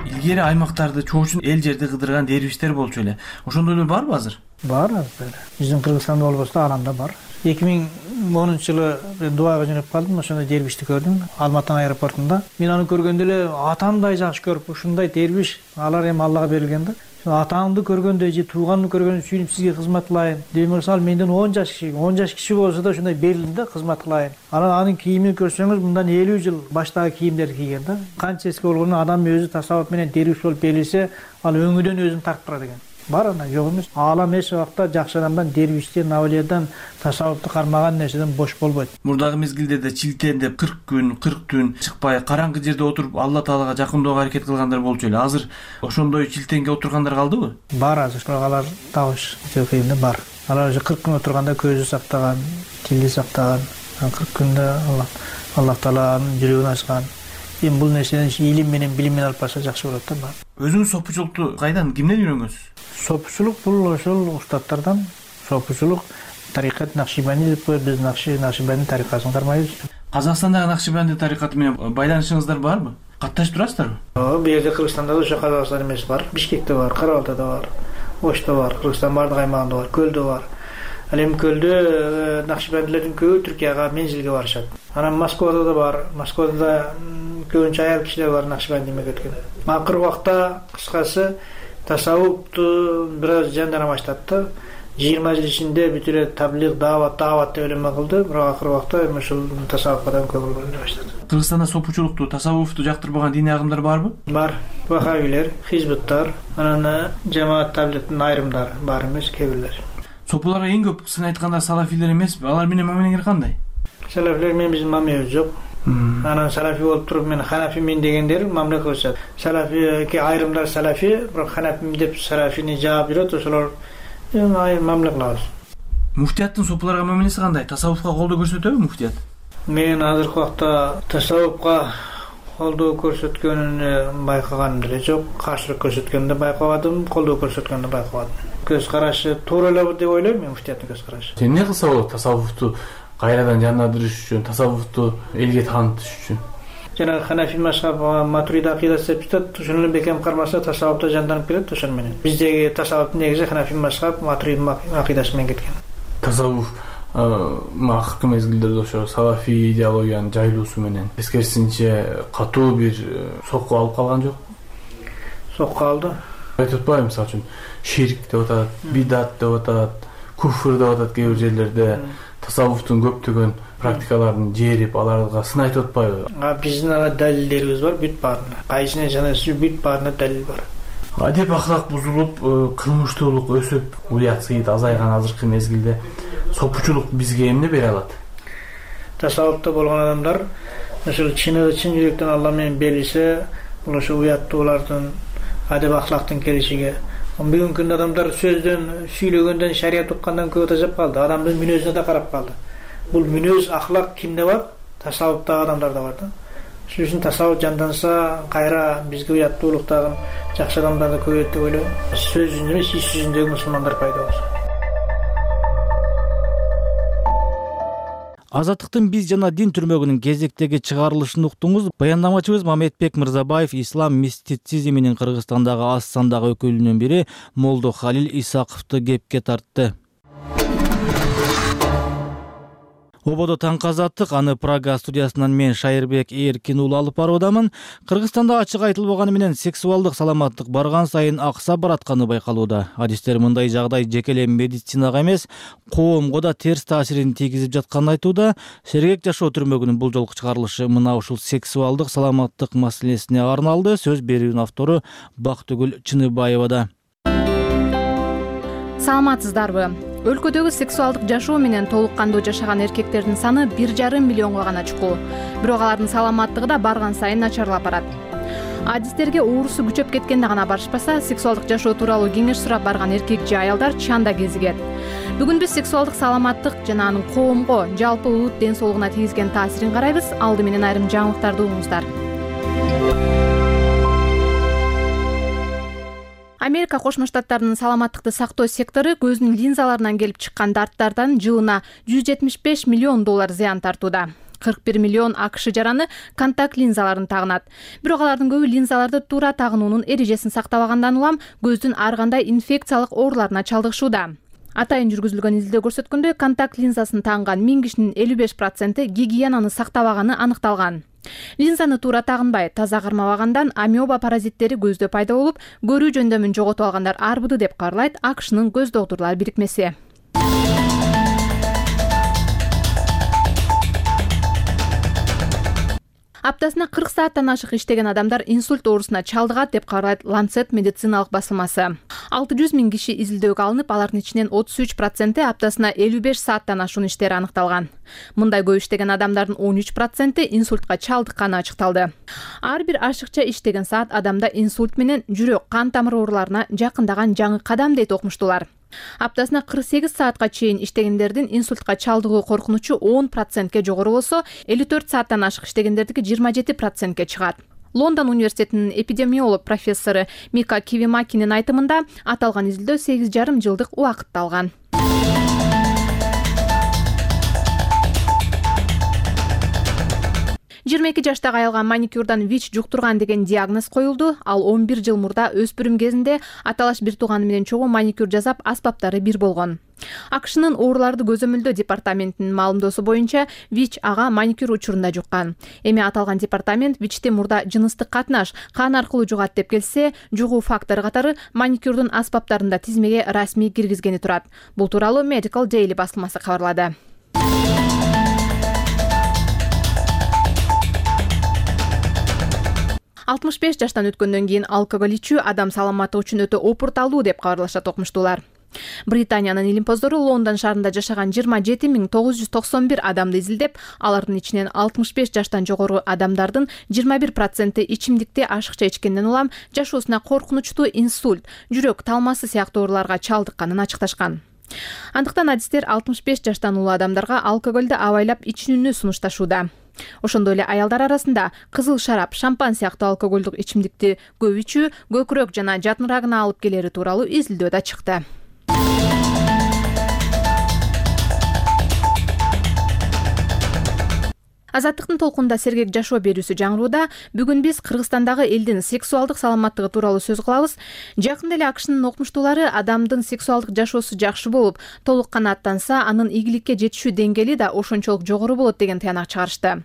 Илгери аймактарды чоочун эл жерди кыдырган дервиштер болчу эле. Ошондойлор барбы азыр? Бар азыр. Биздин Кыргызстанда болбосо аламда бар. эки миң онунчу жылы Дубайга жөнөп калдым, ошондо дервишти көрдүм Алматы аэропортунда. Мен аны көргөндө эле атамдай жакшы көрүп, ушундай дервиш, алар эми Аллага берилген да. Атаңды көргөндө же тууганды көргөндө сүйүнүп сизге кызмат кылайын. Демек мисалы менден он жаш киши, он жаш киши болсо да ушундай берилдим да, кызмат кылайын. Анан анын кийимин көрсөңүз, мындан элүү жыл баштагы кийимдерди кийген да. Канча эски болгону адам өзү тасаввуп менен дервиш болуп берилсе, ал өңүдөн өзүн тартып турат экен. Бар ана жок эмес. Аалам эч убакта жакшы адамдан, дервиштен, авлиядан, тасаввупту кармаган нерседен бош болбойт. Мурдагы мезгилдерде чилтендеп кырк күн, кырк түн чыкпай, караңгы жерде отуруп Алла Таалага жакындоого аракет кылгандар болчу эле. Азыр ошондой чилтенге отургандар калдыбы? Бар азыр. Бирок алар табыш жокейинде бар. Алар уже кырк күн отурганда көзү сактаган, тили сактаган, кырк күндө Алла Алла Тааланын жүрөгүн ачкан. Эми бул нерсени илим менен, билим менен алып барса жакшы болот да. Өзүңүз сопучулукту кайдан, кимден үйрөнгөнсүз? Сопучулук бул ошол устаттардан. Сопучулук тарикат Накшибанди деп коет, биз Накши Накшибанди тарикатын кармайбыз. Казакстандагы Накшибанди тарикаты менен байланышыңыздар барбы? Катташып турасыздарбы? Ооба, бул жерде Кыргызстанда да ошо Казакстан эмес бар. Бишкекте бар, Кара-Балтада бар, Ошто бар, Кыргызстан бардык аймагында бар, Көлдө бар. Ал эми Көлдө Накшибандилердин көбү Түркияга мензилге барышат. Анан Москвада да бар. Москвада да көбүнчө аял кишилер бар Накшибандиге кеткен. Акыркы убакта кыскасы тасаввупту бир аз жандана баштады да. жыйырма жыл ичинде бүт эле таблиг, даават, даават деп эле кылды, бирок акыркы убакта эми ушул тасаввупка да көңүл бөлүнө баштады. Кыргызстанда сопучулукту, тасаввуфту жактырбаган диний агымдар барбы? Бар. Вахабилер, хизбуттар, анан жамаат табликтин айрымдары бар эмес, кээ бирлер. Сопуларга эң көп сын айткандар салафилер эмеспи? Алар менен мамилеңер кандай? Салафилер менен биздин мамилебиз жок. Анан салафи болуп туруп мен ханафимин дегендер мамиле кылышат. Салафи айрымдар салафи, бирок ханафим деп салафини жаап жүрөт, ошолор мамиле кылабыз. Муфтияттын сопуларга мамилеси кандай? Тасаввуфка колдоо көрсөтөбү муфтият? Мен азыркы убакта тасаввуфка колдоо көрсөткөнүн байкаганым деле жок. Каршылык көрсөткөнүн да байкабадым, колдоо көрсөткөнүн да байкабадым. Көз карашы туура эле деп ойлойм мен муфтияттын көз карашы. Сен эмне кылса болот тасаввуфту кайрадан жандандырыш үчүн, тасаввуфту элге таанытыш үчүн? Жана ханафи мазхаб матурида акидасы деп жатат, ошону эле бекем кармаса тасаввупта жанданып келет ошону менен. Биздеги тасаввуптун негизи ханафи мазхаб матурида акидасы менен кеткен. Тасаввуф акыркы мезгилдерде ошо салафи идеологиянын жайылуусу менен тескерисинче катуу бир сокку алып калган жок? Сокку алды. Айтып атпайбы, мисалы үчүн ширк деп атат, бидат деп атат, куфр деп атат кээ бир жерлерде. Тасаввуфтун көптөгөн практикаларын жерип, аларга сын айтып атпайбы? Биздин ага далилдерибиз бар, бүт баарына. Кайсына жанасы бүт баарына далил бар. Адеп аклак бузулуп, кылмыштуулук өсүп, уят сыйыт азайган азыркы мезгилде сопучулук бизге эмне бере алат? Тасаввупта болгон адамдар ошол чыныгы чын жүрөктөн Алла менен берилсе, бул ошо уяттуулардын, адеп аклактын келишиге. Бүгүнкү күндө адамдар сөздөн, сүйлөгөндөн, шарият уккандан көп тажап калды. Адамдын мүнөзүнө да карап калды. Бул мүнөз, аклак кимде бар? Тасаввуптагы адамдарда бар да. Ошон үчүн тасаввуп жанданса, кайра бизге уяттуулуктагы жакшы адамдар да көбөйөт деп ойлойм. Сөз жүзүндө эмес, иш жүзүндөгү мусулмандар пайда болсун. Азаттыктын биз жана дин түрмөгүнүн кезектеги чыгарылышын уктуңуз. Баяндамачыбыз Мамедбек Мырзабаев ислам мистицизминин Кыргызстандагы аз сандагы өкүлүнүн бири Молдо Халил Исаковду кепке тартты. Ободо таңкы азаттык, аны Прага студиясынан мен Шайырбек Эркин уулу алып баруудамын. Кыргызстанда ачык айтылбаганы менен сексуалдык саламаттык барган сайын аксап баратканы байкалууда. Адистер мындай жагдай жеке эле медицинага эмес, коомго да терс таасирин тийгизип жатканын айтууда. Сергек жашоо түрмөгүнүн бул жолку чыгарылышы мына ушул сексуалдык саламаттык маселесине арналды. Сөз берүүнүн автору Бактыгүл Чыныбаевада. Саламатсыздарбы? Өлкөдөгү сексуалдык жашоо менен толук кандуу жашаган эркектердин саны бир жарым миллионго гана чукул. Бирок алардын саламаттыгы да барган сайын начарлап барат. Адистерге оорусу күчөп кеткенде гана барышпаса, сексуалдык жашоо тууралуу кеңеш сурап барган эркек же аялдар чанда кезигет. Бүгүн биз сексуалдык саламаттык жана анын коомго, жалпы улут ден соолугуна тийгизген таасирин карайбыз. Алды менен айрым жаңылыктарды угуңуздар. Америка Кошмо Штаттарынын саламаттыкты сактоо сектору көздүн линзаларынан келип чыккан дарттардан жылына жүз жетимиш беш миллион доллар зыян тартууда. кырк бир миллион АКШ жараны контакт линзаларын тагынат. Бирок алардын көбү линзаларды туура тагынуунун эрежесин сактабагандан улам көздүн ар кандай инфекциялык ооруларына чалдыгышууда. Атайын жүргүзүлгөн изилдөө көрсөткөндөй, контакт линзасын тагынган миң кишинин элүү беш проценти гигиенаны сактабаганы аныкталган. Линзаны туура тагынбай, таза кармабагандан амеба паразиттери көздө пайда болуп, көрүү жөндөмүн жоготуп алгандар арбыды деп кабарлайт АКШнын көз доктурлар бирикмеси. Аптасына кырк сааттан ашык иштеген адамдар инсульт оорусуна чалдыгат деп кабарлайт Lancet медициналык басылмасы. алты жүз миң киши изилдөөгө алынып, алардын ичинен отуз үч проценти аптасына элүү беш сааттан ашуун иштери аныкталган. Мындай көп иштеген адамдардын он үч проценти инсультка чалдыкканы ачыкталды. Ар бир ашыкча иштеген саат адамда инсульт менен жүрөк, кан тамыр ооруларына жакындаган жаңы кадам дейт окумуштуулар. Аптасына кырк сегиз саатка чейин иштегендердин инсультка чалдыгуу коркунучу он процентке жогору болсо, элүү төрт сааттан ашык иштегендердики жыйырма жети процентке чыгат. Лондон университетинин эпидемиолог профессору Мика Кивимакинин айтымында, аталган изилдөө сегиз жарым жылдык убакытты алган. жыйырма эки жаштагы аялга маникюрдан ВИЧ жуктурган деген диагноз коюлду. Ал он бир жыл мурда өспүрүм кезинде аталаш бир тууганы менен чогуу маникюр жасап, аспаптары бир болгон. АКШнын ооруларды көзөмөлдөө департаментинин маалымдоосу боюнча, ВИЧ ага маникюр учурунда жуккан. Эми аталган департамент ВИЧти мурда жыныстык катнаш, кан аркылуу жугат деп келсе, жугуу фактору катары маникюрдун аспаптарында тизмеге расмий киргизгени турат. Бул тууралуу Medical Daily басылмасы кабарлады. алтымыш беш жаштан өткөндөн кийин алкоголь ичүү адам саламаттыгы үчүн өтө опурталуу деп кабарлашат окумуштуулар. Британиянын илимпоздору Лондон шаарында жашаган жыйырма жети миң тогуз жүз токсон бир адамды изилдеп, алардын ичинен алтымыш беш жаштан жогору адамдардын жыйырма бир проценти ичимдикти ашыкча ичкенден улам жашоосуна коркунучтуу инсульт, жүрөк талмасы сыяктуу ооруларга чалдыкканын ачыкташкан. Андыктан адистер алтымыш беш жаштан улуу адамдарга алкоголду абайлап ичүүнү сунушташууда. Ошондой эле аялдар арасында кызыл шарап, шампан сыяктуу алкоголдук ичимдикти көп ичүү көкүрөк жана жатын рагына алып келери тууралуу изилдөө да чыкты. Азаттыктын толкунда сергек жашоо берүүсү жаңырууда. Бүгүн биз Кыргызстандагы элдин сексуалдык саламаттыгы тууралуу сөз кылабыз. Жакында эле АКШнын окумуштуулары адамдын сексуалдык жашоосу жакшы болуп, толук канааттанса, анын ийгиликке жетишүү деңгээли да ошончолук жогору болот деген таянак чыгарышты.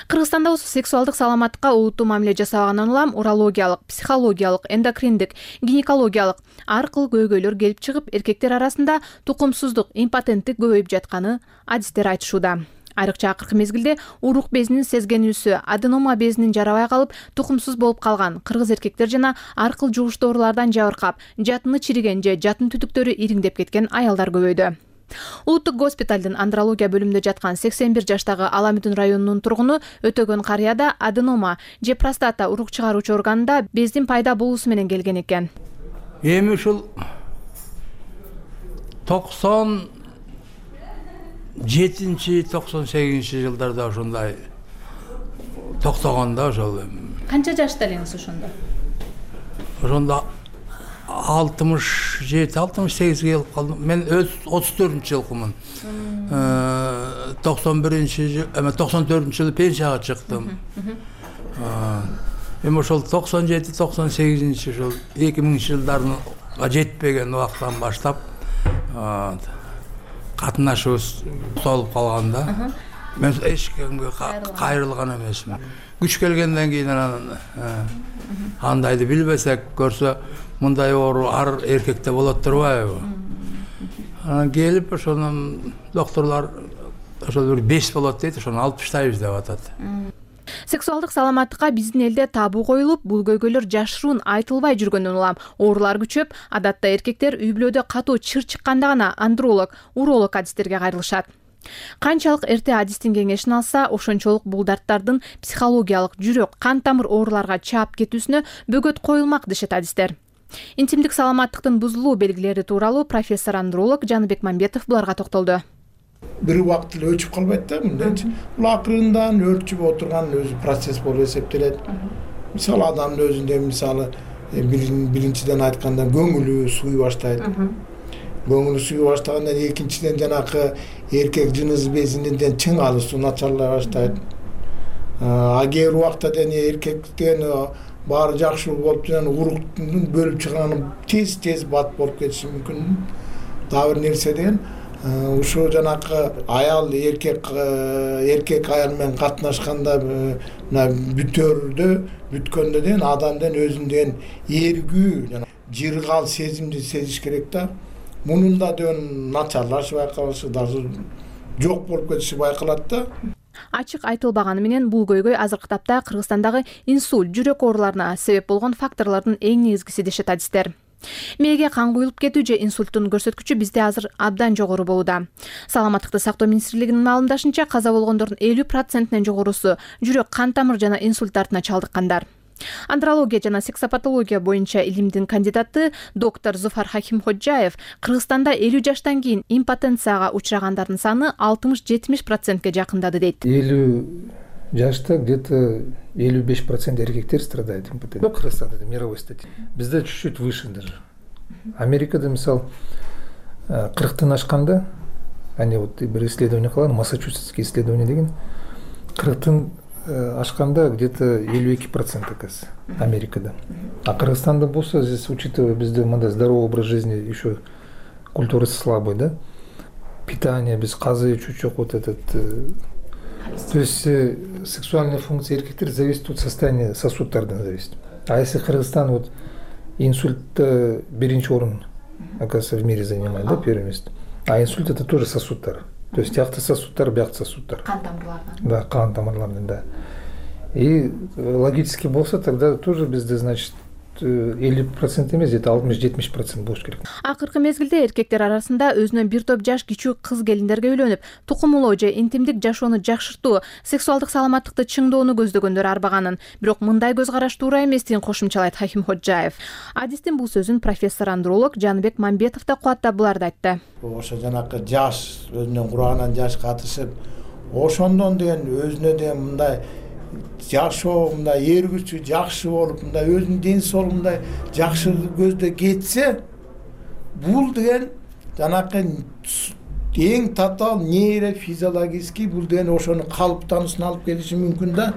Кыргызстанда болсо сексуалдык саламаттыкка олуттуу мамиле жасабагандан улам урологиялык, психологиялык, эндокриндик, гинекологиялык ар кыл көйгөйлөр келип чыгып, эркектер арасында тукумсуздук, импотенттик көбөйүп жатканы адистер айтышууда. Айрыкча акыркы мезгилде урук безинин сезгенүүсү, аденома безинин жарабай калып, тукумсуз болуп калган кыргыз эркектер жана ар кыл жугуштуу оорулардан жабыркап, жатыны чириген же жатын түтүктөрү ириңдеп кеткен аялдар көбөйдү. Улуттук госпиталдын андрология бөлүмүндө жаткан сексен бир жаштагы Аламүдүн районунун тургуну Өтөгөн карыяда аденома же простата урук чыгаруучу органында бездин пайда болуусу менен келген экен. Эми ушул токсон жетинчи токсон сегизинчи жылдарда ошондой токтогондо ошол. Канча жашта элеңиз ошондо? Ошондо алтымыш жети алтымыш сегизге келип калдым. Мен өз отуз төртүнчү жылкумун. токсон биринчи жыл, эме токсон төртүнчү жылы пенсияга чыктым. Эми ошол токсон жети токсон сегизинчи жыл эки миңинчи жылдарга жетпеген убактан баштап катнашыбыз толуп калганда мен эч кимге кайрылган эмесмин. Күч келгенден кийин анан андайды билбесек көрсө мындай оору ар эркекте болот турбайбы? Анан келип ошонун докторлор ошол бир беш болот дейт, ошону алып таштайбыз деп атат. Сексуалдык саламаттыкка биздин элде табу коюлуп, бул көйгөйлөр жашыруун айтылбай жүргөндөн улам оорулар күчөп, адатта эркектер үй бүлөдө катуу чыр чыкканда гана андролог, уролог адистерге кайрылышат. Канчалык эрте адистин кеңешин алса, ошончолук бул дарттардын психологиялык, жүрөк, кан тамыр ооруларга чаап кетүүсүнө бөгөт коюлмак дешет адистер. Интимдик саламаттыктын бузулуу белгилери тууралуу профессор андролог Жаныбек Мамбетов буларга токтолду. Бир убакыт эле өчүп калбайт да мындайчы. Бул акырындан өрчүп отурган өзү процесс болуп эсептелет. Мисалы адамдын өзүндө мисалы биринчиден айтканда көңүлү сууй баштайт. Көңүлү сууй баштагандан экинчиден жанакы эркек жыныс безинен чың алышуу начарлай баштайт. А кээ убакта дене эркектен баары жакшы болуп жана уруктун бөлүп чыганы тез тез бат болуп кетиши мүмкүн. Дагы бир нерсе деген ушул жанакы аял эркек эркек аял менен катнашканда мына бүтөрдө бүткөндө деген адамдын өзүндөн эргүү жана жыргал сезимди сезиш керек да. Мунун да деген начарлашы байкалышы даже жок болуп кетиши байкалат да. Ачык айтылбаганы менен бул көйгөй азыркы тапта Кыргызстандагы инсульт, жүрөк ооруларына себеп болгон факторлордун эң негизгиси дешет адистер. Мээге кан куюлуп кетүү же инсульттун көрсөткүчү бизде азыр абдан жогору болууда. Саламаттыкты сактоо министрлигинин маалымдашынча, каза болгондордун элүү процентинен жогорусу жүрөк кан тамыр жана инсульт дартына чалдыккандар. Андрология жана сексопатология боюнча илимдин кандидаты доктор Зуфар Хакимходжаев Кыргызстанда элүү жаштан кийин импотенцияга учурагандардын саны алтымыш жетимиш процентке жакындады дейт. элүү жашта где-то элүү беш процент эркектер страдает импотенцией. Кыргызстанда мировой статистика. Бизде чуть-чуть выше даже. Америкада мисал кырктан ашканда, они вот бир исследование кылган, Массачусетский исследование деген, кырктан ашканда где-то элүү эки процент оказывается Америкада. А Кыргызстанда болсо, здесь учитывая бизде мындай здоровый образ жизни, еще культурасы слабый, да? Питание без казы, чуть-чуть вот этот. То есть сексуальная функция эркектер зависит от состояния сосуддардан зависит. А если Кыргызстан вот инсульт биринчи орун, оказывается, в мире занимает, да, первое место. А инсульт это тоже сосуддар. То есть тиякты сосуддар, биякты сосуддар. Кан тамырлардан. Да, кан тамырлардан, да. И логически болса, тогда тоже бизде, значит, элүү процент эмес, где-то алтымыш жетимиш процент болуш керек. Акыркы мезгилде эркектер арасында өзүнөн бир топ жаш кичүү кыз келиндерге үйлөнүп, тукумулоо же интимдик жашоону жакшыртуу, сексуалдык саламаттыкты чыңдоону көздөгөндөр арбаганын, бирок мындай көз караш туура эместигин кошумчалайт Хакимходжаев. Адистин бул сөзүн профессор андролог Жаныбек Мамбетов да кубаттап буларды айтты. Ошо жанакы жаш өзүнүн курагынан жаш катышып, ошондон деген өзүнө деген мындай жашоо мындай эргүүчү жакшы болуп, мындай өзүнүн ден соолугу мындай жакшы көздө кетсе, бул деген жанакы эң татаал нейрофизиологический бул деген ошонун калыптануусуна алып келиши мүмкүн да.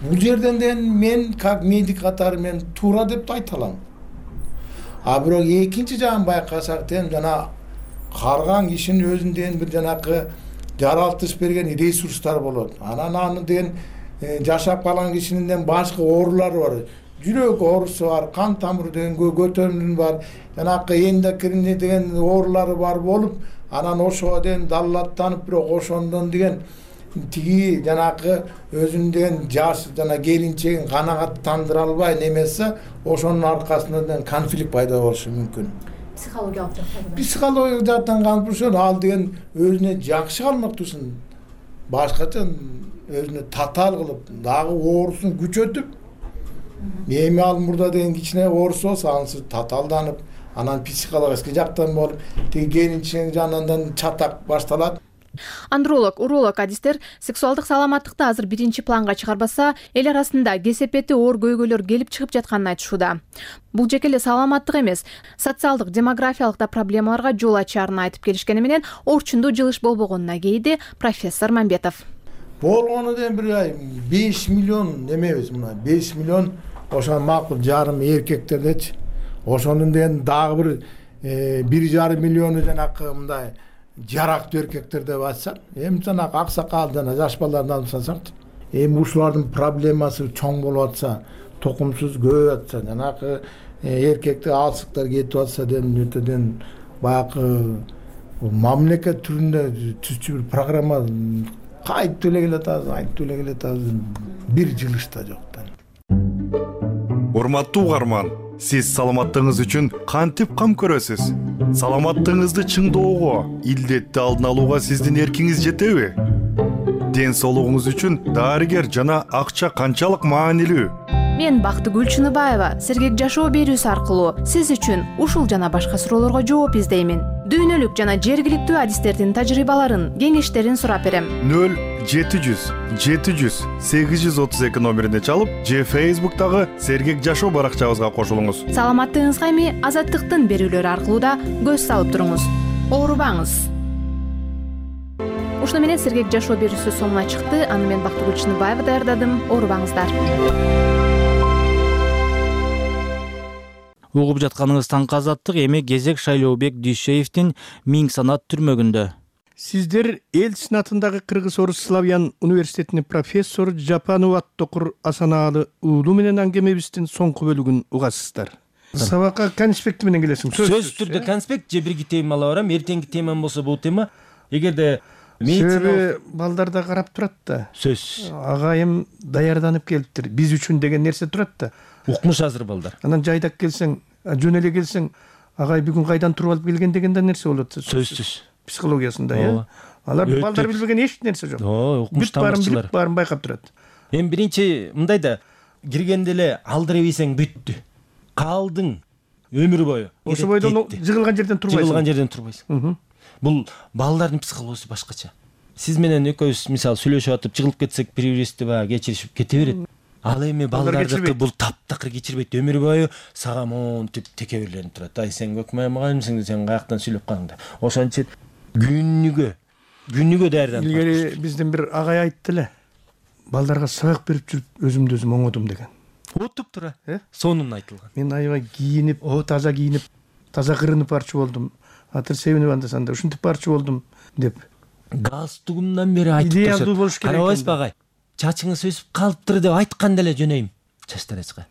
Бул жерден деген мен как медик катары мен туура деп айта алам. А бирок экинчи жагын байкасак деген жана карган кишинин өзүндөн бир жанакы жаралтыш берген ресурстар болот. Анан аны деген жашап калган кишинин башка оорулары бар. Жүрөк оорусу бар, кан тамыр деген көтөрүмү бар, жанакы эндокринный деген оорулары бар болуп, анан ошого деген даллаттанып, бирок ошондон деген тиги жанакы өзүнүн деген жаш жана келинчегин канагаттандыра албай немесе, ошонун аркасынан конфликт пайда болушу мүмкүн. Психологиялык жактан. Психологиялык жактан конфликт ал деген өзүнө жакшы калмактуусун башкача өзүнө татаал кылып, дагы оорусун күчөтүп, эми ал мурда деген кичине оорусу болсо, анысы татаалданып, анан психологический жактан болуп, тиги келинчегин жанынан чатак башталат. Андролог, уролог адистер сексуалдык саламаттыкты азыр биринчи планга чыгарбаса, эл арасында кесепети оор көйгөйлөр келип чыгып жатканын айтышууда. Бул жеке эле саламаттык эмес, социалдык, демографиялык да проблемаларга жол ачаарын айтып келишкени менен орчундуу жылыш болбогонуна кейди профессор Мамбетов. Болгону деген бир беш миллион немебиз мына, беш миллион ошо макул жарым эркектердечи. Ошонун деген дагы бир бир жарым миллиону жанакы мындай жарактуу эркектер деп айтсак, эми жанакы аксакал жана жаш балдарды алып салсак, эми ушулардын проблемасы чоң болуп атса, тукумсуз көбөйүп атса, жанакы эркектик алсыктар кетип атса деген өтөдөн баягы мамлекет түрүндө түзчү бир программа кайтып эле келатабыз, айтып эле келатабыз, бир жылышта жок. Урматтуу угарман, сиз саламаттыгыңыз үчүн кантип кам көрөсүз? Саламаттыгыңызды чыңдоого, илдетти алдын алууга сиздин эркиңиз жетеби? Ден соолугуңуз үчүн дарыгер жана акча канчалык маанилүү? Мен Бактыгүл Чыныбаева сергек жашоо берүүсү аркылуу сиз үчүн ушул жана башка суроолорго жооп издеймин. Дүйнөлүк жана жергиликтүү адистердин тажрыйбаларын, кеңештерин сурап берем. нөл жети жүз жети жүз сегиз жүз отуз эки номерине чалып же Facebook'тагы Сергек Жашоо баракчабызга кошулуңуз. Саламаттыгыңызга эми Азаттыктын берүүлөрү аркылуу да көз салып туруңуз. Оорубаңыз. Ушуну менен Сергек Жашоо берүүсү соңуна чыкты. Аны мен Бактыгүл Чыныбаева даярдадым. Оорубаңыздар. Угуп жатканыңыз таңкы Азаттык. Эми кезек Шайлообек Дүйшеевдин Миң санат түрмөгүндө. Сиздер эл сенатындагы Кыргыз-Орус Славян университетинин профессору Жапанов Аттокур Асанаалы уулу менен аңгемебиздин соңку бөлүгүн угасыздар. Сабакка конспекти менен келесиң. Сөзсүз түрдө конспект же бирги тема ала барам. Эртеңки темам болсо бул тема. Эгерде себеби балдар да карап турат да. Сөз. Агайым даярданып келиптир. Биз үчүн деген нерсе турат да. Укмуш азыр балдар. Анан жайдак келсең, жөн эле келсең, агай бүгүн кайдан туруп алып келген деген да нерсе болот. Сөзсүз. Психологиясында, э? Алар балдар билбеген эч нерсе жок. Укмуш тамакчылар. Барын байкап турат. Эми биринчи мындай да, киргенде эле алдырып ийсең бүттү. Калдың өмүр бою. Ошо бойдон жыгылган жерден турбайсың. Жыгылган жерден турбайсың. Бул балдардын психологиясы башкача. Сиз менен экөөбүз мисалы сүйлөшүп атып жыгылып кетсек, бири-бирибизди баягы кечиришип кете берет. Ал эми балдардыкы бул таптакыр кечирбейт. Өмүр бою сага монтип теке берленип турат. Ай сен көкмай мугалимсиң, сен каяктан сүйлөп калдың. Ошончо күнүгө күнүгө даярданып. Илгери биздин бир агай айтты эле. Балдарга сабак берип жүрүп өзүмдү өзүм оңодум деген. Отуп тура, э? Сонун айтылган. Мен аябай кийинип, о таза кийинип, таза кырынып барчу болдум. Атыр себинип андасанда ушинтип барчу болдум деп. Галстугумдан бери айтып турат. Идеалдуу болуш керек. Карабайсызбы агай? Чачыңыз өсүп калыптыр деп айтканда эле жөнөйм. Чачтарачка.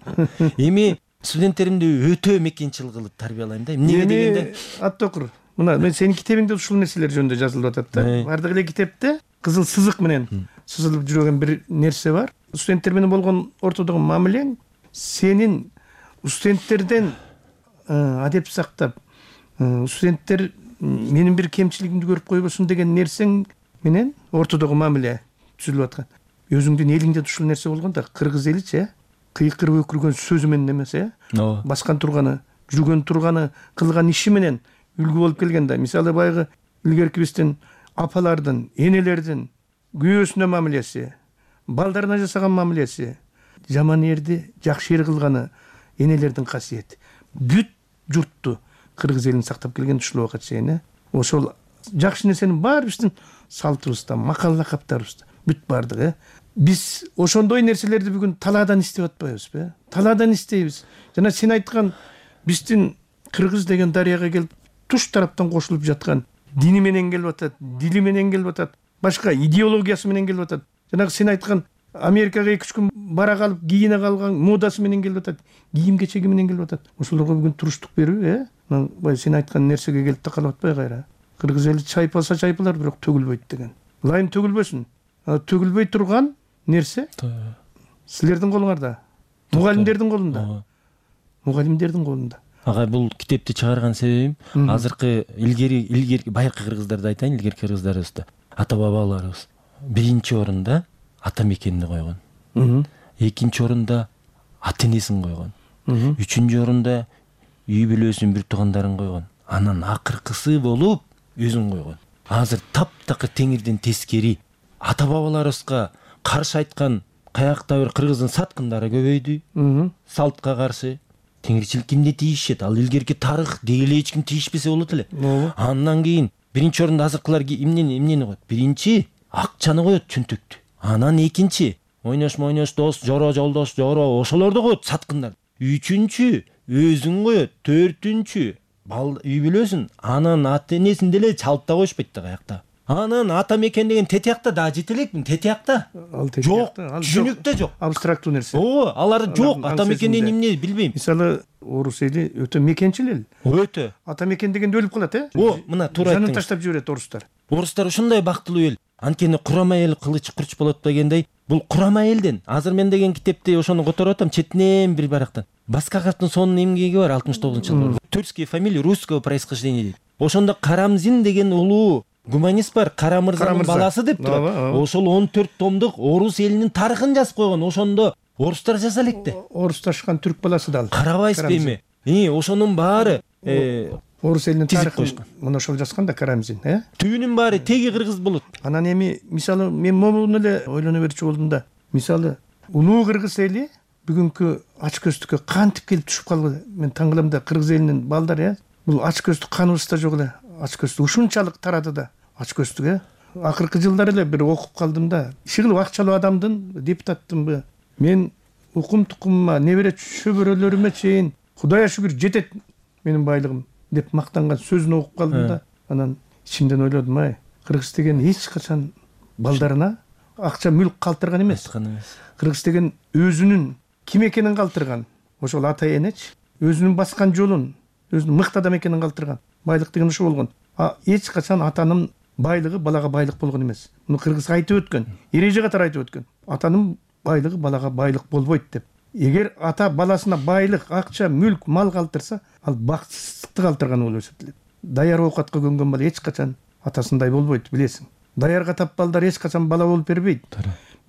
Эми студенттеримди өтө мекенчил кылып тарбиялайм да. Эмнеге дегенде Аттокур. Мына мен сенин китебиңде ушул нерселер жөнүндө жазылып атат да. Бардык эле китепте кызыл сызык менен сызылып жүргөн бир нерсе бар. Студенттер менен болгон ортодогу мамилең сенин студенттерден адеп сактап, студенттер менин бир кемчилигимди көрүп койбосун деген нерсең менен ортодогу мамиле түзүлүп аткан. Өзүңдүн элиңде ушул нерсе болгон да, кыргыз эличи, кыйкырып өкүргөн сөзү менен эмес, э? Баскан турганы, жүргөн турганы, кылган иши менен үлгү болуп келген да. Мисалы баягы илгерки биздин апалардын, энелердин күйөөсүнө мамилеси, балдарына жасаган мамилеси, жаман эрди жакшы эр кылганы энелердин касиети. Бүт журтту кыргыз элин сактап келген ушул убакка чейин, э? Ошол жакшы нерсенин баары биздин салтыбызда, макал лакаптарыбызда бүт бардык, э? Биз ошондой нерселерди бүгүн талаадан издеп атпайбызбы? Талаадан издейбиз. Жана сен айткан биздин кыргыз деген дарыяга келип туш тараптан кошулуп жаткан дини менен келип атат, дили менен келип атат, башка идеологиясы менен келип атат. Жанагы сен айткан Америкага эки үч күн бара калып кийине калган модасы менен келип атат, кийим кечеги менен келип атат. Ошолорго бүгүн туруштук берүү, э? Мына сен айткан нерсеге келип такалып атпай кайра. Кыргыз эли чайпалса чайпалар, бирок төгүлбөйт деген. Ылайым төгүлбөсүн. Төгүлбөй турган нерсе силердин колуңарда, мугалимдердин колунда. Мугалимдердин колунда. Агай, бул китепти чыгарган себебим азыркы илгери илгерки байыркы кыргыздарды айтайын, илгерки кыргыздарыбызды, ата бабаларыбыз биринчи орунда ата мекенди койгон. Экинчи орунда ата энесин койгон. Үчүнчү орунда үй бүлөсүн, бир туугандарын койгон. Анан акыркысы болуп өзүн койгон. Азыр таптакыр теңирден тескери ата бабаларыбызга каршы айткан каякта бир кыргыздын саткындары көбөйдү. Салтка каршы теңирчилик кимде тийишет? Ал илгерки тарых дейле эч ким тийишпесе болот эле. Андан кийин биринчи орунда азыркылар эмнени эмнени коет? Биринчи акчаны коет, чөнтөктү. Анан экинчи ойнош мойнош дос, жоро жолдош, жоро ошолорду коет, саткындар. Үчүнчү өзүн коет, төртүнчү бал үй бүлөсүн, анан ата энесин деле чалып да коюшпайт да каякта. Анан ата мекен деген тетиякта да жете элекмин, тетиякта. Жок, түшүнүктө жок. Абстрактуу нерсе. Ооба, алар жок, ата мекенден эмне билбейм. Мисалы, орус эли өтө мекенчил эл. Өтө. Ата мекен дегенде өлүп калат, э? О, мына туура айттыңыз. Жанын таштап жиберет орустар. Орустар ушундай бактылуу эл. Анткени курама эл кылыч курч болот дегендей, бул курама элден. Азыр мен деген китепти ошону которуп атам, четинен бир барактан. Баскаковдун сонун эмгеги бар алтымыш тогузунчу жылы. Тюркские фамилии русского происхождения дейт. Ошондо Карамзин деген улуу гуманист бар, Кара мырзанын баласы деп турат. Ошол он төрт томдук орус элинин тарыхын жазып койгон. Ошондо орустар жаза электе. Орусташкан түрк баласы да ал. Карабайсызбы эми? И, ошонун баары орус элинин тизип тарыхын коюшкан. мына ошол жазган да Карамзин, э? Түбүнүн баары теги кыргыз болот. Анан эми мисалы мен момун эле ойлоно берчү болдум да. Мисалы улуу кыргыз эли бүгүнкү ач көздүккө кантип келип түшүп калды? Мен таң калам да, кыргыз элинин балдары, э? Бул ач көздүк каныбызда жок эле. Ач көздүк ушунчалык тарады да. Ач көздүк, э? Акыркы жылдары эле бир окуп калдым да. Иши кылып акчалуу адамдын, депутаттынбы? Мен укум тукумума, небере чөбөрөлөрүмө чейин Кудайга шүгүр жетет менин байлыгым деп мактанган сөзүн окуп калдым да. Анан ичимден ойлодум, ай, кыргыз деген эч качан балдарына акча мүлк калтырган эмес. Кыргыз деген өзүнүн ким экенин калтырган. Ошол ата энечи, өзүнүн баскан жолун, өзүнүн мыкты адам экенин калтырган. Байлык деген ошо болгон. А эч качан атанын байлыгы балага байлык болгон эмес. Муну кыргыз айтып өткөн, эреже катары айтып өткөн. Атанын байлыгы балага байлык болбойт деп. Эгер ата баласына байлык, акча, мүлк, мал калтырса, ал бакытсыздыкты калтырган болуп эсептелет. Даяр оокатка көнгөн бала эч качан атасындай болбойт, билесиң. Даярга тап балдар эч качан бала болуп бербейт.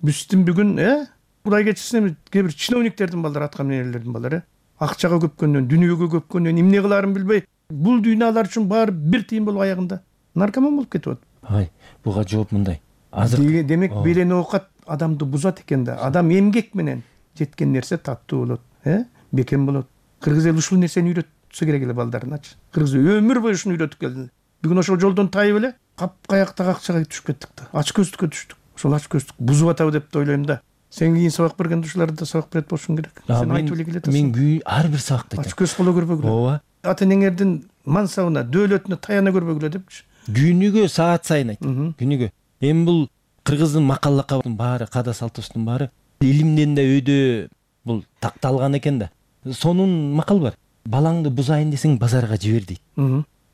Биздин бүгүн, э, Кудай кечирсин, кээ бир чиновниктердин балдары, аткан энелердин балдары, акчага көпкөндөн, дүнүйөгө көпкөндөн эмне кылаарын билбей, бул дүйнөлөр үчүн баары бир тыйын болуп аягында наркоман болуп кетип атат. Ай, буга жооп мындай. Азыр демек белен оокат адамды бузат экен да. Адам эмгек менен жеткен нерсе таттуу болот, э? Бекем болот. Кыргыз эл ушул нерсени үйрөтсө керек эле балдарыначы. Кыргыз өмүр бою ушуну үйрөтүп келди. Бүгүн ошол жолдон тайып эле капкаяктагы акчага түшүп кеттик да. Ач көздүккө түштүк. Ошол ач көздүк бузуп атабы деп ойлойм да. Сен кийин сабак берген ушуларды да сабак берет болушуң керек. Сен айтып эле келет. Мен күй ар бир сабакта ач көз боло көрбөгүлө. Ооба. Ата энеңердин мансабына, дөөлөтүнө таяна көрбөгүлө депчи. Күнүгө саат сайын айт. Күнүгө. Эми бул кыргыздын макал лакабынын баары, када салтыбыздын баары илимден да өйдө бул такталган экен да. Сонун макал бар. Балаңды бузайын десең базарга жибер дейт.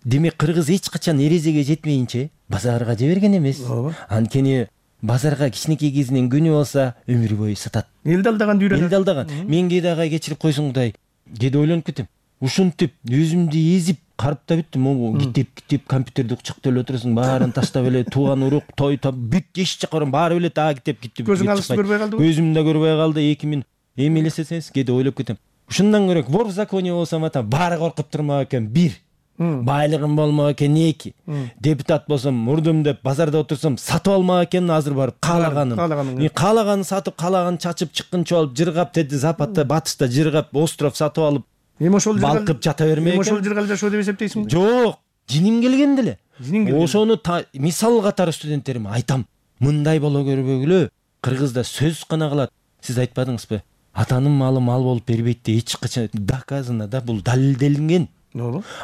Демек кыргыз эч качан эрежеге жетмейинче базарга жиберген эмес. Анткени базарга кичинекей кезинен көнүп алса өмүр бою сатат. Элди алдаган үйрөнөт. Элди алдаган. Мен кээде агай кечирип койсуң Кудай. Кээде ойлонуп кетем. Ушинтип өзүмдү эзип карыптап бүттүм. Могу китеп китеп компьютерди кучактап эле отурасың, баарын таштап эле тууган урук, той топ бүт эч жакка барам, баары билет, а китеп китеп. Көзүң алысты көрбөй калдыбы? Көзүм да көрбөй калды. эки миң эми элестесеңиз кээде ойлоп кетем. Ушундан көрөк вор в законе болсом ата баары коркуп турмак экен. бир байлыгым болмок экен, эки депутат болсом мурдум деп базарда отурсам сатып алмак экен, азыр барып каалаганын мен каалаганын сатып, каалаганын чачып, чыккынча алып, жыргап, деди западта, батышта жыргап, остров сатып алып, эми ошол балкып жата бермек экен. Эми ошол жыргал жашоо деп эсептейсиңби? Жок, жиним келген деле. Ошону мисал катары студенттериме айтам. Мындай боло көрбөгүлө. Кыргызда сөз гана калат. Сиз айтпадыңызбы? Атанын малы мал болуп бербейт деп эч качан доказано да, бул далилделинген.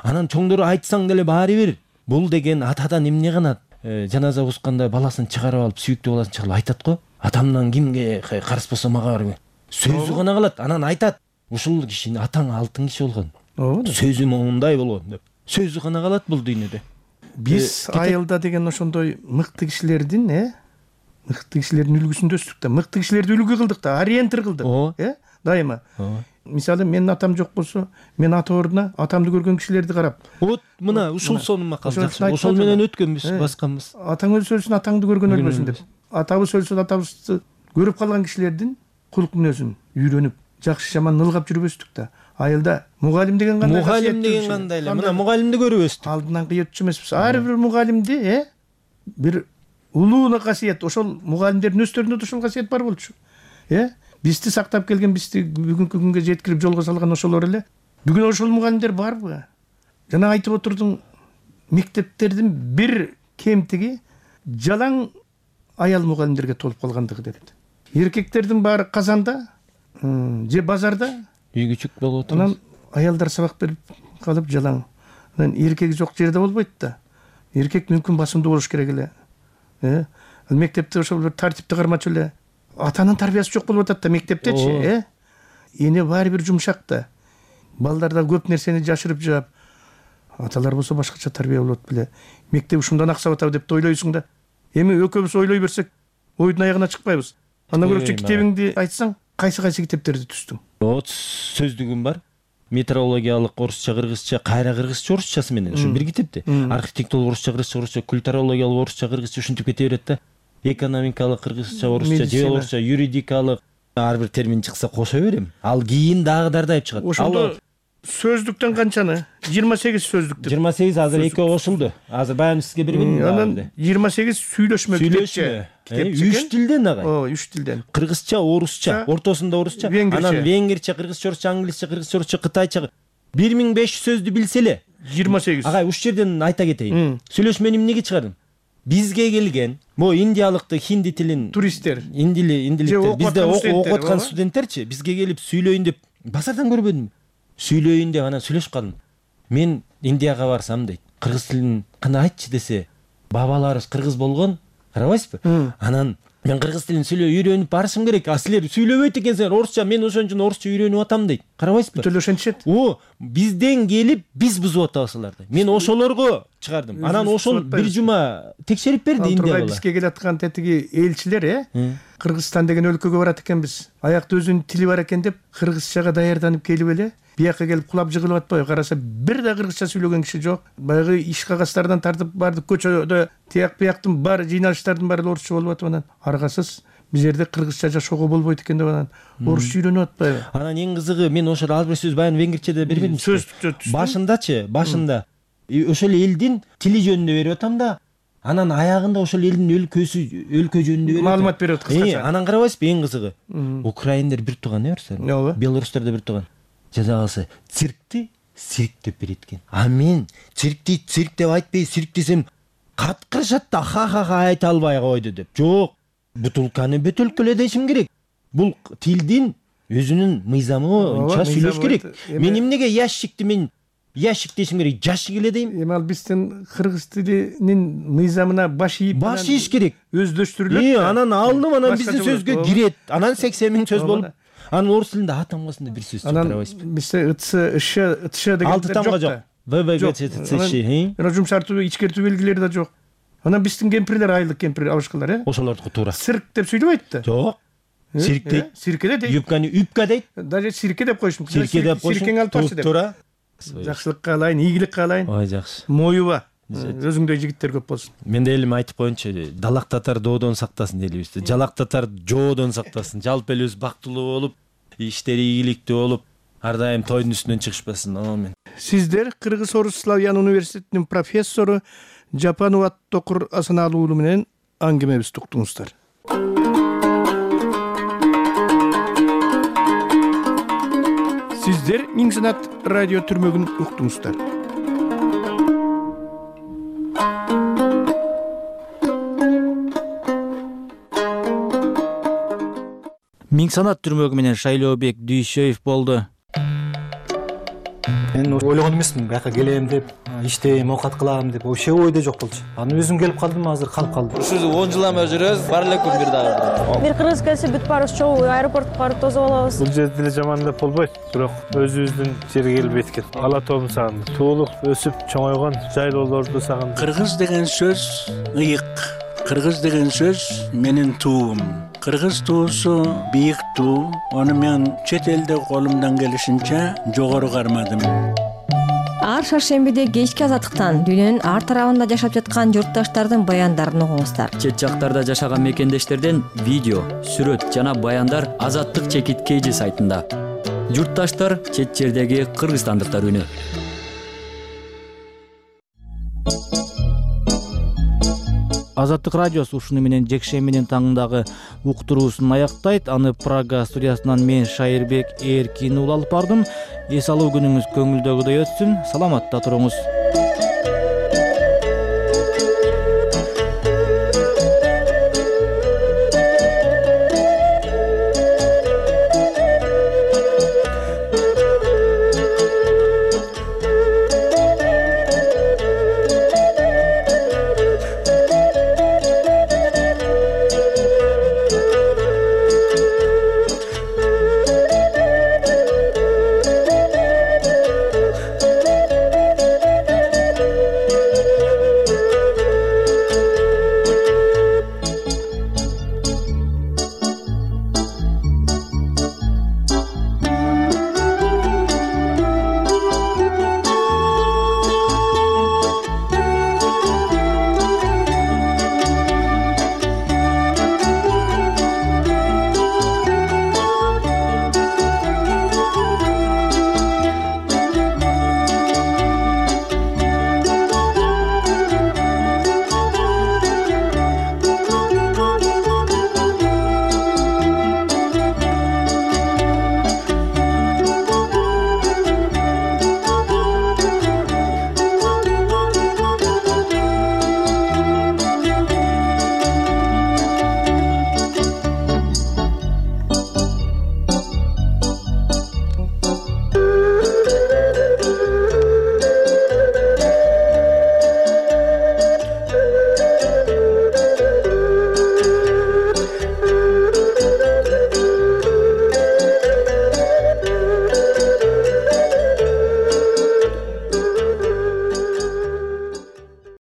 Анан чоңдору айтсаң деле баары бир. Бул деген атадан эмне гана жаназа укканда баласын чыгарып алып, сүйүктүү баласын чыгарып айтат го. Атамдан кимге карыз болсо мага бар. Сөзү гана калат. Анан айтат. Ушул киши атаң алтын киши болгон. Сөзү мондай болгон деп. Сөзү гана калат бул дүйнөдө. Биз айылда деген ошондой мыкты кишилердин, э? Мыкты кишилердин үлгүсүндө өстүк да. Мыкты кишилерди үлгү кылдык да, ориентир кылдык, э? Дайыма. Мисалы менин атам жок болсо, мен ата ордуна атамды көргөн кишилерди карап. Вот мына ушул сонун макал жакшы. Ошол менен өткөнбүз, басканбыз. Атаң өлсө өлсүн, атаңды көргөн өлбөсүн деп. Атабыз өлсө атабызды көрүп калган кишилердин кулк мүнөзүн үйрөнүп, жакшы жаман ылгап жүрбөстүк да. Айылда мугалим деген кандай? Мугалим деген кандай эле? Мына мугалимди көрүп өстүк. Алдынан кыйытчу эмеспиз. Ар бир мугалимди, э? Бир улуу касиет, ошол мугалимдердин өздөрүндө да ошол касиет бар болчу. Э? Бизди сактап келген, бизди бүгүнкү күнгө жеткирип жолго салган ошолор эле. Бүгүн ошол мугалимдер барбы? Жана айтып отурдуң, мектептердин бир кемтиги жалаң аял мугалимдерге толуп калгандыгы дедит. Эркектердин баары казанда, же базарда, үй күчүк болуп отурат. Анан аялдар сабак берип калып жалаң. Анан эркек жок жерде болбойт да. Эркек мүмкүн басымдуу болуш керек эле. Э? Мектепте ошол бир тартипти кармачу эле. Атанын тарбиясы жок болуп атат да мектептечи, э? Эне баары бир жумшак да. Балдар да көп нерсени жашырып жаап, аталар болсо башкача тарбия болот беле. Мектеп ушундан аксап атабы деп ойлойсуң да. Эми экөөбүз ойлой берсек, ойдун аягына чыкпайбыз. Андан көрөчү китебиңди айтсаң, кайсы кайсы китептерди түздүң? Вот сөздүгүм бар. Метеорологиялык орусча, кыргызча, кайра кыргызча, орусчасы менен ушу бир китепти. Архитектура орусча, кыргызча, орусча, культурологиялык орусча, кыргызча ушинтип кете берет да. Экономикалык кыргызча, орусча, же орусча, юридикалык ар бир термин чыкса кошо берем. Ал кийин дагы дардайып чыгат. Ошондо сөздүктөн канчаны? жыйырма сегиз сөздүктү. жыйырма сегиз азыр экөө кошулду. Азыр баягы сизге бербедимби? Анан жыйырма сегиз сүйлөшмө сүйлөшмө. Үч тилден ага. Ооба, үч тилден. Кыргызча, орусча, ортосунда орусча, анан венгерче, кыргызча, орусча, англисче, кыргызча, орусча, кытайча бир миң беш жүз сөздү билсе эле жыйырма сегиз. Ага, уш жерден айта кетейин. Сүйлөшмөнү эмнеге чыгардым? Бизге келген могу индиялыкты, хинди тилин туристтер, индили, индиликтер, бизде окуп аткан студенттерчи бизге келип сүйлөйүн деп базардан көрбөдүмбү? Сүйлөйүн деп анан сүйлөшүп калдым. Мен Индияга барсам дейт, кыргыз тилин кандай айтчы десе, бабаларыбыз кыргыз болгон, карабайсызбы? Анан мен кыргыз тилин сүйлөп үйрөнүп барышым керек. А силер сүйлөбөйт экенсиңер орусча, мен ошон үчүн орусча үйрөнүп атам дейт. Карабайсызбы? Бүтөлө ошентишет. О, бизден келип биз бузуп атабыз аларды. Мен ошолорго чыгардым. Анан ошол бир жума текшерип берди Индиялар. Бизге келаткан тетиги элчилер, э? Кыргызстан деген өлкөгө барат экенбиз. Аякта өзүнүн тили бар экен деп кыргызчага даярданып келип эле бияка келип кулап жыгылып атпайбы? Караса бир да кыргызча сүйлөгөн киши жок. Баягы иш кагаздардан тартып бардык, көчөдө тияк бияктын бар жыйналыштардын баары орусча болуп атып, анан аргасыз биз жерде кыргызча жашоого болбойт экен деп анан орусча үйрөнүп атпайбы? Анан эң кызыгы, мен ошол ар бир сөз баягы венгерчеде бербедим. Сөз башындачы, башында ошол элдин тили жөнүндө берип атам да, анан аягында ошол элдин өлкөсү, өлкө жөнүндө берип маалымат берип атат кыскача. Анан карабайсызбы, эң кызыгы, украиндер бир тууган, э, орустар, белорустар да бир тууган. Жада калса циркти цирк деп берет экен. А мен циркти цирк деп айтпай, цирк десем каткырышат да, ха-ха-ха айта албай койду деп. Жок, бутулканы бөтөлкөлө дешим керек. Бул тилдин өзүнүн мыйзамы боюнча сүйлөш керек. Мен эмнеге ящикти мен ящик дешим керек, жашык эле дейм. Эми ал биздин кыргыз тилинин мыйзамына баш ийип, баш ийиш керек. Өздөштүрүлөт. Э, анан алынып, анан биздин сөзгө кирет. Анан сексен миң сөз болуп. Анан орус тилинде а тамгасында бир сөз чыгарып атпайбызбы? Бизде ытсы, ш, ытшы деген алты тамга жок. В, В, Г, Ц, Ц, Ш. Анан жумшартуу, ичкертүү белгилери да жок. Анан биздин кемпирлер, айылдык кемпир, абышкалар, э? Ошолордуку туура. Цирк деп сүйлөбөйт да. Жок. Цирк дейт. Цирке дейт. Юбканы үпка дейт. Даже цирке деп коюш мүмкүн. Цирке деп коюш. Циркең алып барчы деп. Туура. Жакшылык каалайын, ийгилик каалайын. Ой, жакшы. Моюба. Өзүңдөй жигиттер көп болсун. Мен да элим айтып коеюнчу, далак татар доодон сактасын дейбиз. Жалак татар жоодон сактасын. Жалпы эле өз бактылуу болуп, иштери ийгиликтүү болуп, ар дайым тойдун үстүнөн чыгышпасын. Амин. Сиздер Кыргыз Орус Славян университетинин профессору Жапанубат Токур Асаналуу уулу менен аңгемебизди уктуңуздар. Сиздер Миң Санат радио түрмөгүн уктуңуздар. Миң Санат түрмөгү менен Шайлообек Дүйшөев болду. Мен ойлогон эмесмин, бияка келем деп, иштейм, оокат кылам деп, вообще ойдо жок болчу. Анан өзүм келип калдым, азыр калып калдым. Ушул он жылдан бери жүрөбүз, бар эле күн бир дагы. Бир кыргыз келсе бүт баарыбыз чогуу аэропортко барып тосуп алабыз. Бул жерде деле жаман деп болбойт, бирок өзүбүздүн жерге келбейт экен. Ала тообун сагындым. Туулуп, өсүп, чоңойгон жайлоолорду сагындым. Кыргыз деген сөз ыйык. Кыргыз деген сөз менин туум. Кыргыз туусу бийик туу. Аны мен чет элде колумдан келишинче жогору кармадым. Ар шаршембиде кечки азаттыктан дүйнөнүн ар тарабында жашап жаткан журтташтардын баяндарын угуңуздар. Чет жактарда жашаган мекендештерден видео, сүрөт жана баяндар Азаттык чекит кейжи сайтында. Журтташтар чет жердеги кыргызстандыктар үнү. Азаттык радиосу ушуну менен жекшембинин таңындагы уктуруусун аяктайт. Аны Прага студиясынан мен Шайырбек Эркин уулу алып бардым. Эс алуу күнүңүз көңүлдөгүдөй өтсүн. Саламатта туруңуз.